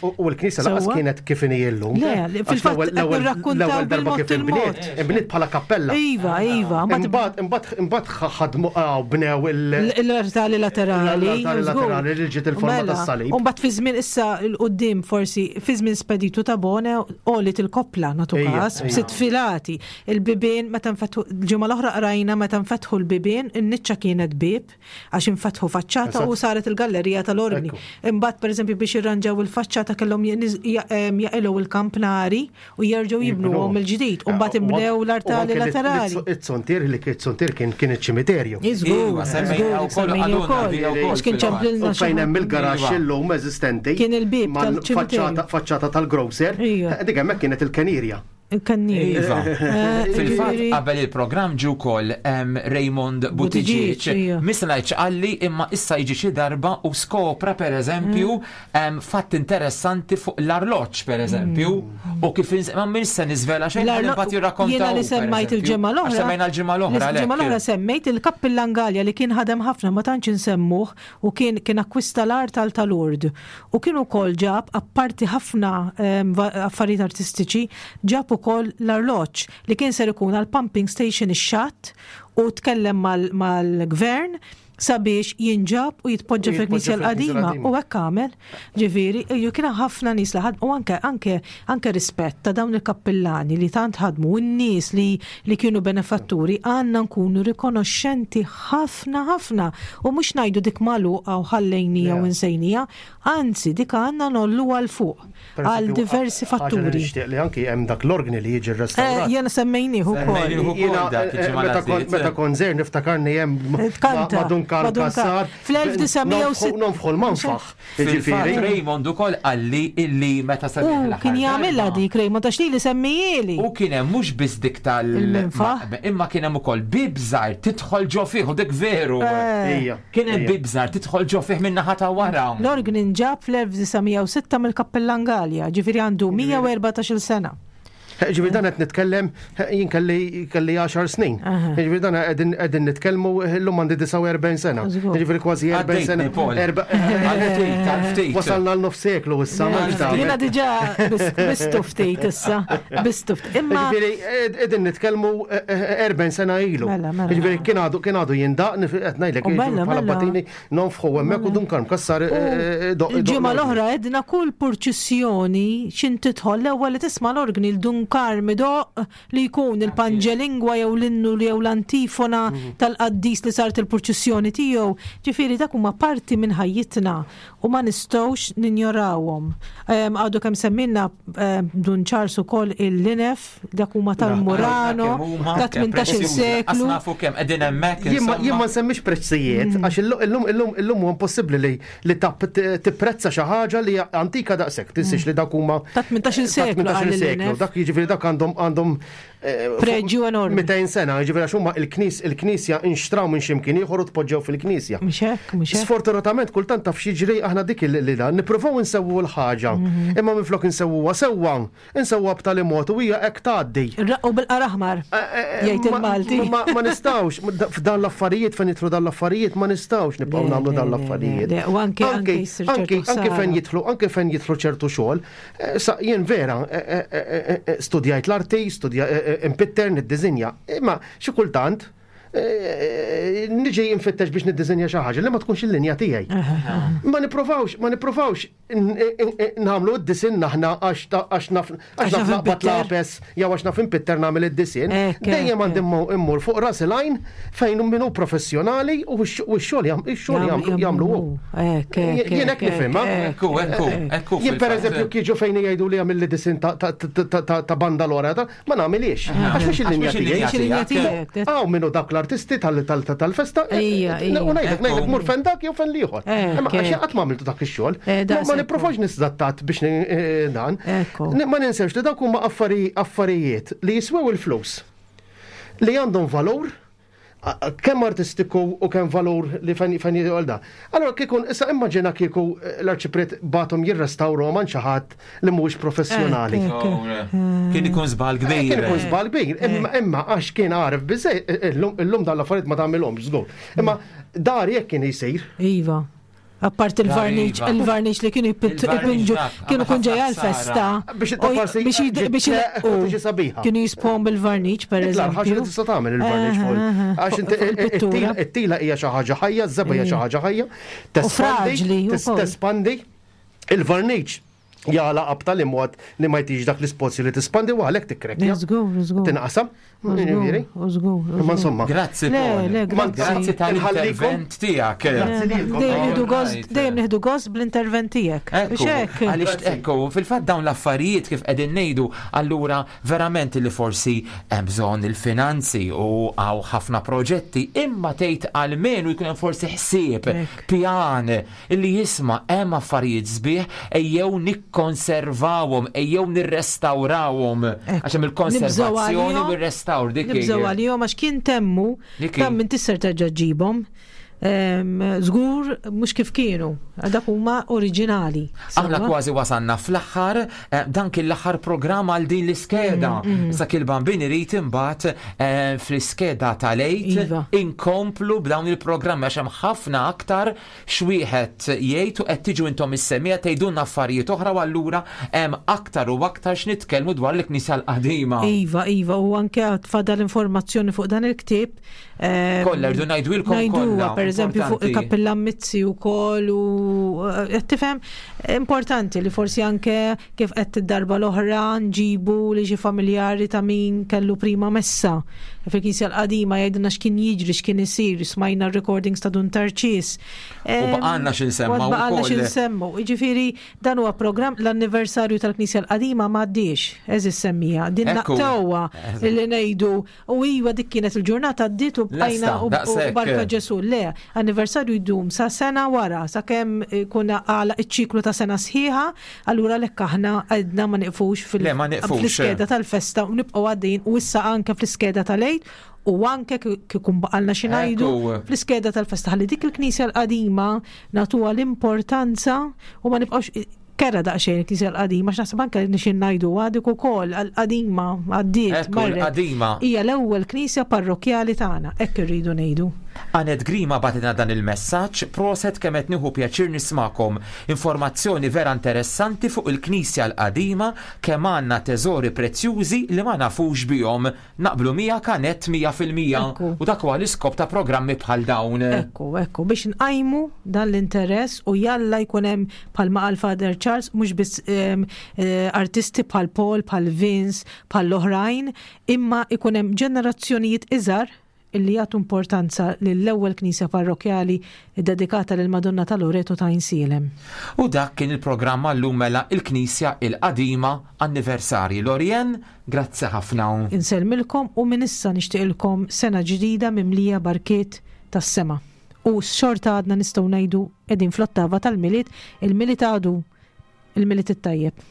U l-knisja lanqas kienet kif inhi llum. Le, fil-fatt nirrakkuntaw darba kif inbniet, inbniet bħala kappella. Iva, iva. Imbagħad imbagħad ħadmu bnew l-artali laterali. L-artali laterali li ġiet il-forma mela, tas-salib. U mbagħad fi żmien issa l quddiem forsi fi żmien Speditu Tabone għolit il-koppla nagħtu każ b'sitt filati. Il-bibien meta nfetħu l-ġimgħa l-oħra qrajna meta nfetħu l-bibien in-niċċa kienet bieb għax infetħu faċċata u saret il-gallerija tal-orgni. Imbagħad pereżempju biex irranġaw il-faċċata kellhom jaqilgħu il-kampnari u jerġgħu jibnuhom mill-ġdid. U mbagħad inbnew l-artali laterali. It-sontier li it-sontier kien kien iċ-ċimiterju. Iżgur, żgur, Għax kien ċemplilna. U fejn hemm il-garaxx illum eżistenti. Kien il-bieb tal-ċimiterju. Faċċata tal-grocer. Dik hemmhekk kienet il-kenirja. Il-kannierja. Iva. Fil-fatt qabel il-programm ġie wkoll Raymond Buttigieg. Mista ngħid x'qalli imma issa jiġi xi darba u skopra pereżempju fatt interessanti fuq l-arloġġ pereżempju u kif ma minn se niżvela xejn imbagħad jirrakkonta. Jiena li semmajt il-ġimgħa l-oħra. Semmejna l-ġimgħa l-oħra. Il-ġimgħa l-oħra semmejt il-Kappillan Galea li kien ħadem ħafna ma tantx insemmuh u kien kien akkwista l-art għal ta' Lourdes u kien ukoll ġab apparti ħafna affarijiet artistiċi ġab ukoll l-arloġġ li kien ser ikun għal pumping station ix-xatt u tkellem mal-gvern. Sabiex jinġab u jitpoġġa fil-Knisja l-qadima u hekk għamel. Ġifieri, kien ħafna nies li ħadmu u anke anke anke rispett ta' dawn il-kappillani li tant ħadmu u n-nies li li kienu benefatturi għandna nkunu rikonoxxenti ħafna ħafna u mhux ngħidu dik magħluqa u ħallejnija u nsejnija, anzi dik għandna ngħolluha 'l fuq. Għal diversi fatturi. Nixtieq li anki hemm dak l-organi li jiġi rrestawrat. Eh, jena semmejnieh ukoll. Meta kont żgħir niftakarni hemm ma' Dun Karl Cassar. Fl-1906. Nonfħu l-manfaħ. Ġifieri. Raymond ukoll qalli illi meta semmieh. Kien jagħmilha dik Raymond għax lili semmijieli. U kien hemm mhux biss dik tal- Imma kien hemm ukoll bieb żgħir tidħol ġo fih u dik veru. Eh. Kien hemm bieb żgħar tidħol ġo fih min-naħa ta' wara. L-orgni nġab fl-1906 mill-Kappillan Galea, ġifieri għandu 114-il sena. Ġifieri dan qed nitkellem, jien kelli kelli 10 snin. Ġifieri dan qegħdin qegħdin nitkellmu llum għandi 49 sena. Ġifieri kważi 40 sena. Wasalna għal nofs seklu issa. Jiena diġà bistu ftit issa. Bistu ftit. Imma. Ġifieri qegħdin nitkellmu 40 sena ilu. Mela, mela. Ġifieri kien għadu kien għadu jindaq qed ngħidlek mela, bħala batini nonfħu hemmhekk u dun karm kassar doq. Il-ġimgħa l-oħra għedna kull purċissjoni x'in tidħol l-ewwel li tisma' l-orgni l-dun karm idoqq li jkun il-panġelingwa jew l-innu jew l-antifona tal-qaddis li saret il-purċissjoni tiegħu. Ġifieri dak huma parti minn ħajjitna u ma nistgħux ninjorawhom. Għadu kemm semmilna Dun Charles ukoll il-Linef, dak huma tal-Murano, ta' 18-il seklu. Nafu kemm qegħdin hemmhekk. Jien ma nsemmix prezzijiet, mm. għax illum illum illum huwa impossibbli li li tipprezza xi ħaġa li antika daqshekk, tinsiex li dak huma ta' 18-il seklu. seklu, dak jiġifieri dak għandhom għandhom eh, preġju enormi. 200 sena, jiġifieri għax huma il-knis il-knisja inxtraw minn x'imkien ieħor u tpoġġew fil-knisja. Mhux hekk, mhux hekk. Sfortunatament kultant taf x'jiġri aħna dik li dan nippruvaw insewwu l-ħaġa, mhm. imma minflok insewwuha sewwa, Insewwa b'tali mod u hija hekk tgħaddi. Irraqqu bil-qar aħmar, jgħid il-Malti. Ma nistgħux, f'dan l-affarijiet fejn jidħlu dan l-affarijiet ma nistgħux nibqgħu nagħmlu dan l-affarijiet. U anke anke anke fejn jidħlu anke fejn jidħlu ċertu xogħol. Sa jien vera studjajt l-arti, studja impitter, niddiżinja, imma xi kultant niġi nfittex biex niddiżinja xi ħaġa li ma tkunx il-linja tiegħi. Ma nipprovawx, ma nipprovawx nagħmlu d-disin aħna għax naf għax naf naqbad lapes jew għax naf impitter nagħmel id-disin. Dejjem għandi immur fuq ras il-għajn fejn min hu professjonali u x-xogħol ix-xogħol jagħmlu hu. Jien hekk nifhimha. Ekku, ekku, ekku. Jien pereżempju kieġu fejn jgħidu li għamilli disin ta' banda l-ora Ma nagħmilhiex. Għax mhix il-linja tiegħi. Hawn minnu dak l-artisti tal-festa. U ngħidlek ngħidlek mur fejn dak jew fejn l-ieħor. Imma għax qatt ma għamiltu dak ix-xogħol. Ma nipprovax nisdattat biex dan. Ma ninsewx li dawk huma affarijiet li jiswew il-flus. Li għandhom valur kemm artistiku u kemm valur li fejn fejn jidħol da. Allora kieku issa immaġina kieku eh, l-arċipriet batom jirrestawrhom għand xi ħadd li mhuwiex professjonali. Eh, eh, kien ikun żball kbir. Kien ikun żball kbir, imma għax kien għaref biżej, illum dan l-affarijiet ma tagħmilhomx żgur. Imma dar jekk kien jsir. Iva. Apart il-varniċ, iva. il-varniċ li kienu jpinġu, kienu kun ġej għal-festa. Biex biex biex Kienu jispom bil-varniċ, per eżempju. Ħaġa li tista' tagħmel il-varniċ fuq. Eh, eh, eh. Għax it-tila hija xi ħaġa ħajja, ż-żebgħa hija xi ħaġa ħajja. Tespandi, tespandi. Il-varniċ jagħlaq b'tali mod li ma jtix dak l-ispozju li tispandi u għalhekk tikkrekja. Żgur, żgur. Tinqasam. Imma insomma. Grazzi, Grazzi tal-intervent tiegħek. Dejjem nieħdu gost bl-intervent tiegħek. Għaliex ekku, fil-fatt dawn l-affarijiet kif qegħdin ngħidu, allura verament li forsi hemm bżonn il-finanzi u hawn ħafna proġetti, imma tgħid almenu jkun hemm forsi ħsieb, pjan, Illi jisma' hemm affarijiet sbieħ ejjew nikkonservawhom, ejjew nirrestawrawhom. Għax hemm il-konservazzjoni u r-restawr dik. Nibżgħu għalihom għax kien temmu kemm minn tisser terġa' ġġibhom. Żgur mhux kif kienu, dak huma oriġinali. Aħna kważi wasalna fl-aħħar, eh, dan kien l-aħħar programm għal din l-iskeda. Mm, mm. Sa kien bambin irid imbagħad eh, fl-iskeda tal-għid iva. inkomplu b'dawn il-programmi għax hemm ħafna aktar x'wieħed jgħid u qed tiġu intom is-semmiegħa tgħidulna affarijiet oħra u allura hemm aktar u aktar x'nitkellmu dwar il-Knisja l-Qadima. Iva, iva, u anke għad fadal informazzjoni fuq dan il-ktieb. Kollha rridu ngħidwilkom kollha. Per eżempju fuq il-Kappillan Mizzi wkoll u eh, qed tifhem importanti li forsi anke kif qed id-darba l-oħra nġibu li xi familjari ta' min kellu prima messa. Fil-Knisja l-qadima jgħidilna x'kien jiġri, x'kien isir, smajna r-recordings ta' Dun Tarċis. U baqgħalna x'insemmu. Baqgħalna x'insemmu. Jiġifieri dan huwa programm l-anniversarju tal-Knisja l-qadima m'għaddiex, eżis semmija. Din naqtawha li ngħidu U iva dik kienet il-ġurnata għaddiet u bqajna u barka Ġesu. Le, anniversarju jdum sa sena wara, sakemm ikun għalaq iċ-ċiklu ta' sena sħiħa, allura għalhekk aħna għedna ma nieqfux fl-iskeda tal-festa u nibqgħu għaddejjin u issa anke fl-iskeda tal-Għid u anke kieku baqalna xi ngħidu fl-iskeda tal-festa ħalli dik il-knisja l-qadima nagħtuha l-importanza u ma nibqgħux Kerha daqsxejn il-Knisja l-qadima, għax naħseb anke nixin ngħidu dik ukoll għall-qadima għaddiet. Ekku l-qadima. Hija l-ewwel knisja parrokkjali tagħna, hekk irridu ngħidu. Anette Grima bagħtilna dan il-messaġġ, Proset kemm qed nieħu pjaċir nismagħkom. Informazzjoni vera interessanti fuq il-Knisja l-qadima, kemm għandna teżori prezzjużi li ma nafux bihom. Naqblu miegħek Anette 100%. Ekku. U dak huwa l-iskop ta' programmi bħal dawn. Ekku, ekku, biex nqajmu dan l-interess u jalla jkun hemm bħalma qal Father Charles mhux biss ehm, eh, artisti bħal Paul, bħal Vince, bħal l-oħrajn, imma ikun hemm ġenerazzjonijiet iżgħar illi jagħtu importanza lill-ewwel knisja parrokkjali ddedikata lill-Madonna ta' Loreto ta' Għajnsielem. U dak kien il-programm għal-lum mela il-Knisja il-Qadima Anniversarji. Lorianne, grazzi ħafna. Insellmilkom u minn issa nixtieqilkom sena ġdida mimlija barkiet tas-sema. U xorta għadna nistgħu ngħidu qegħdin fl-ottava tal-Milied, il-Milied għadu il-Milied it-tajjeb.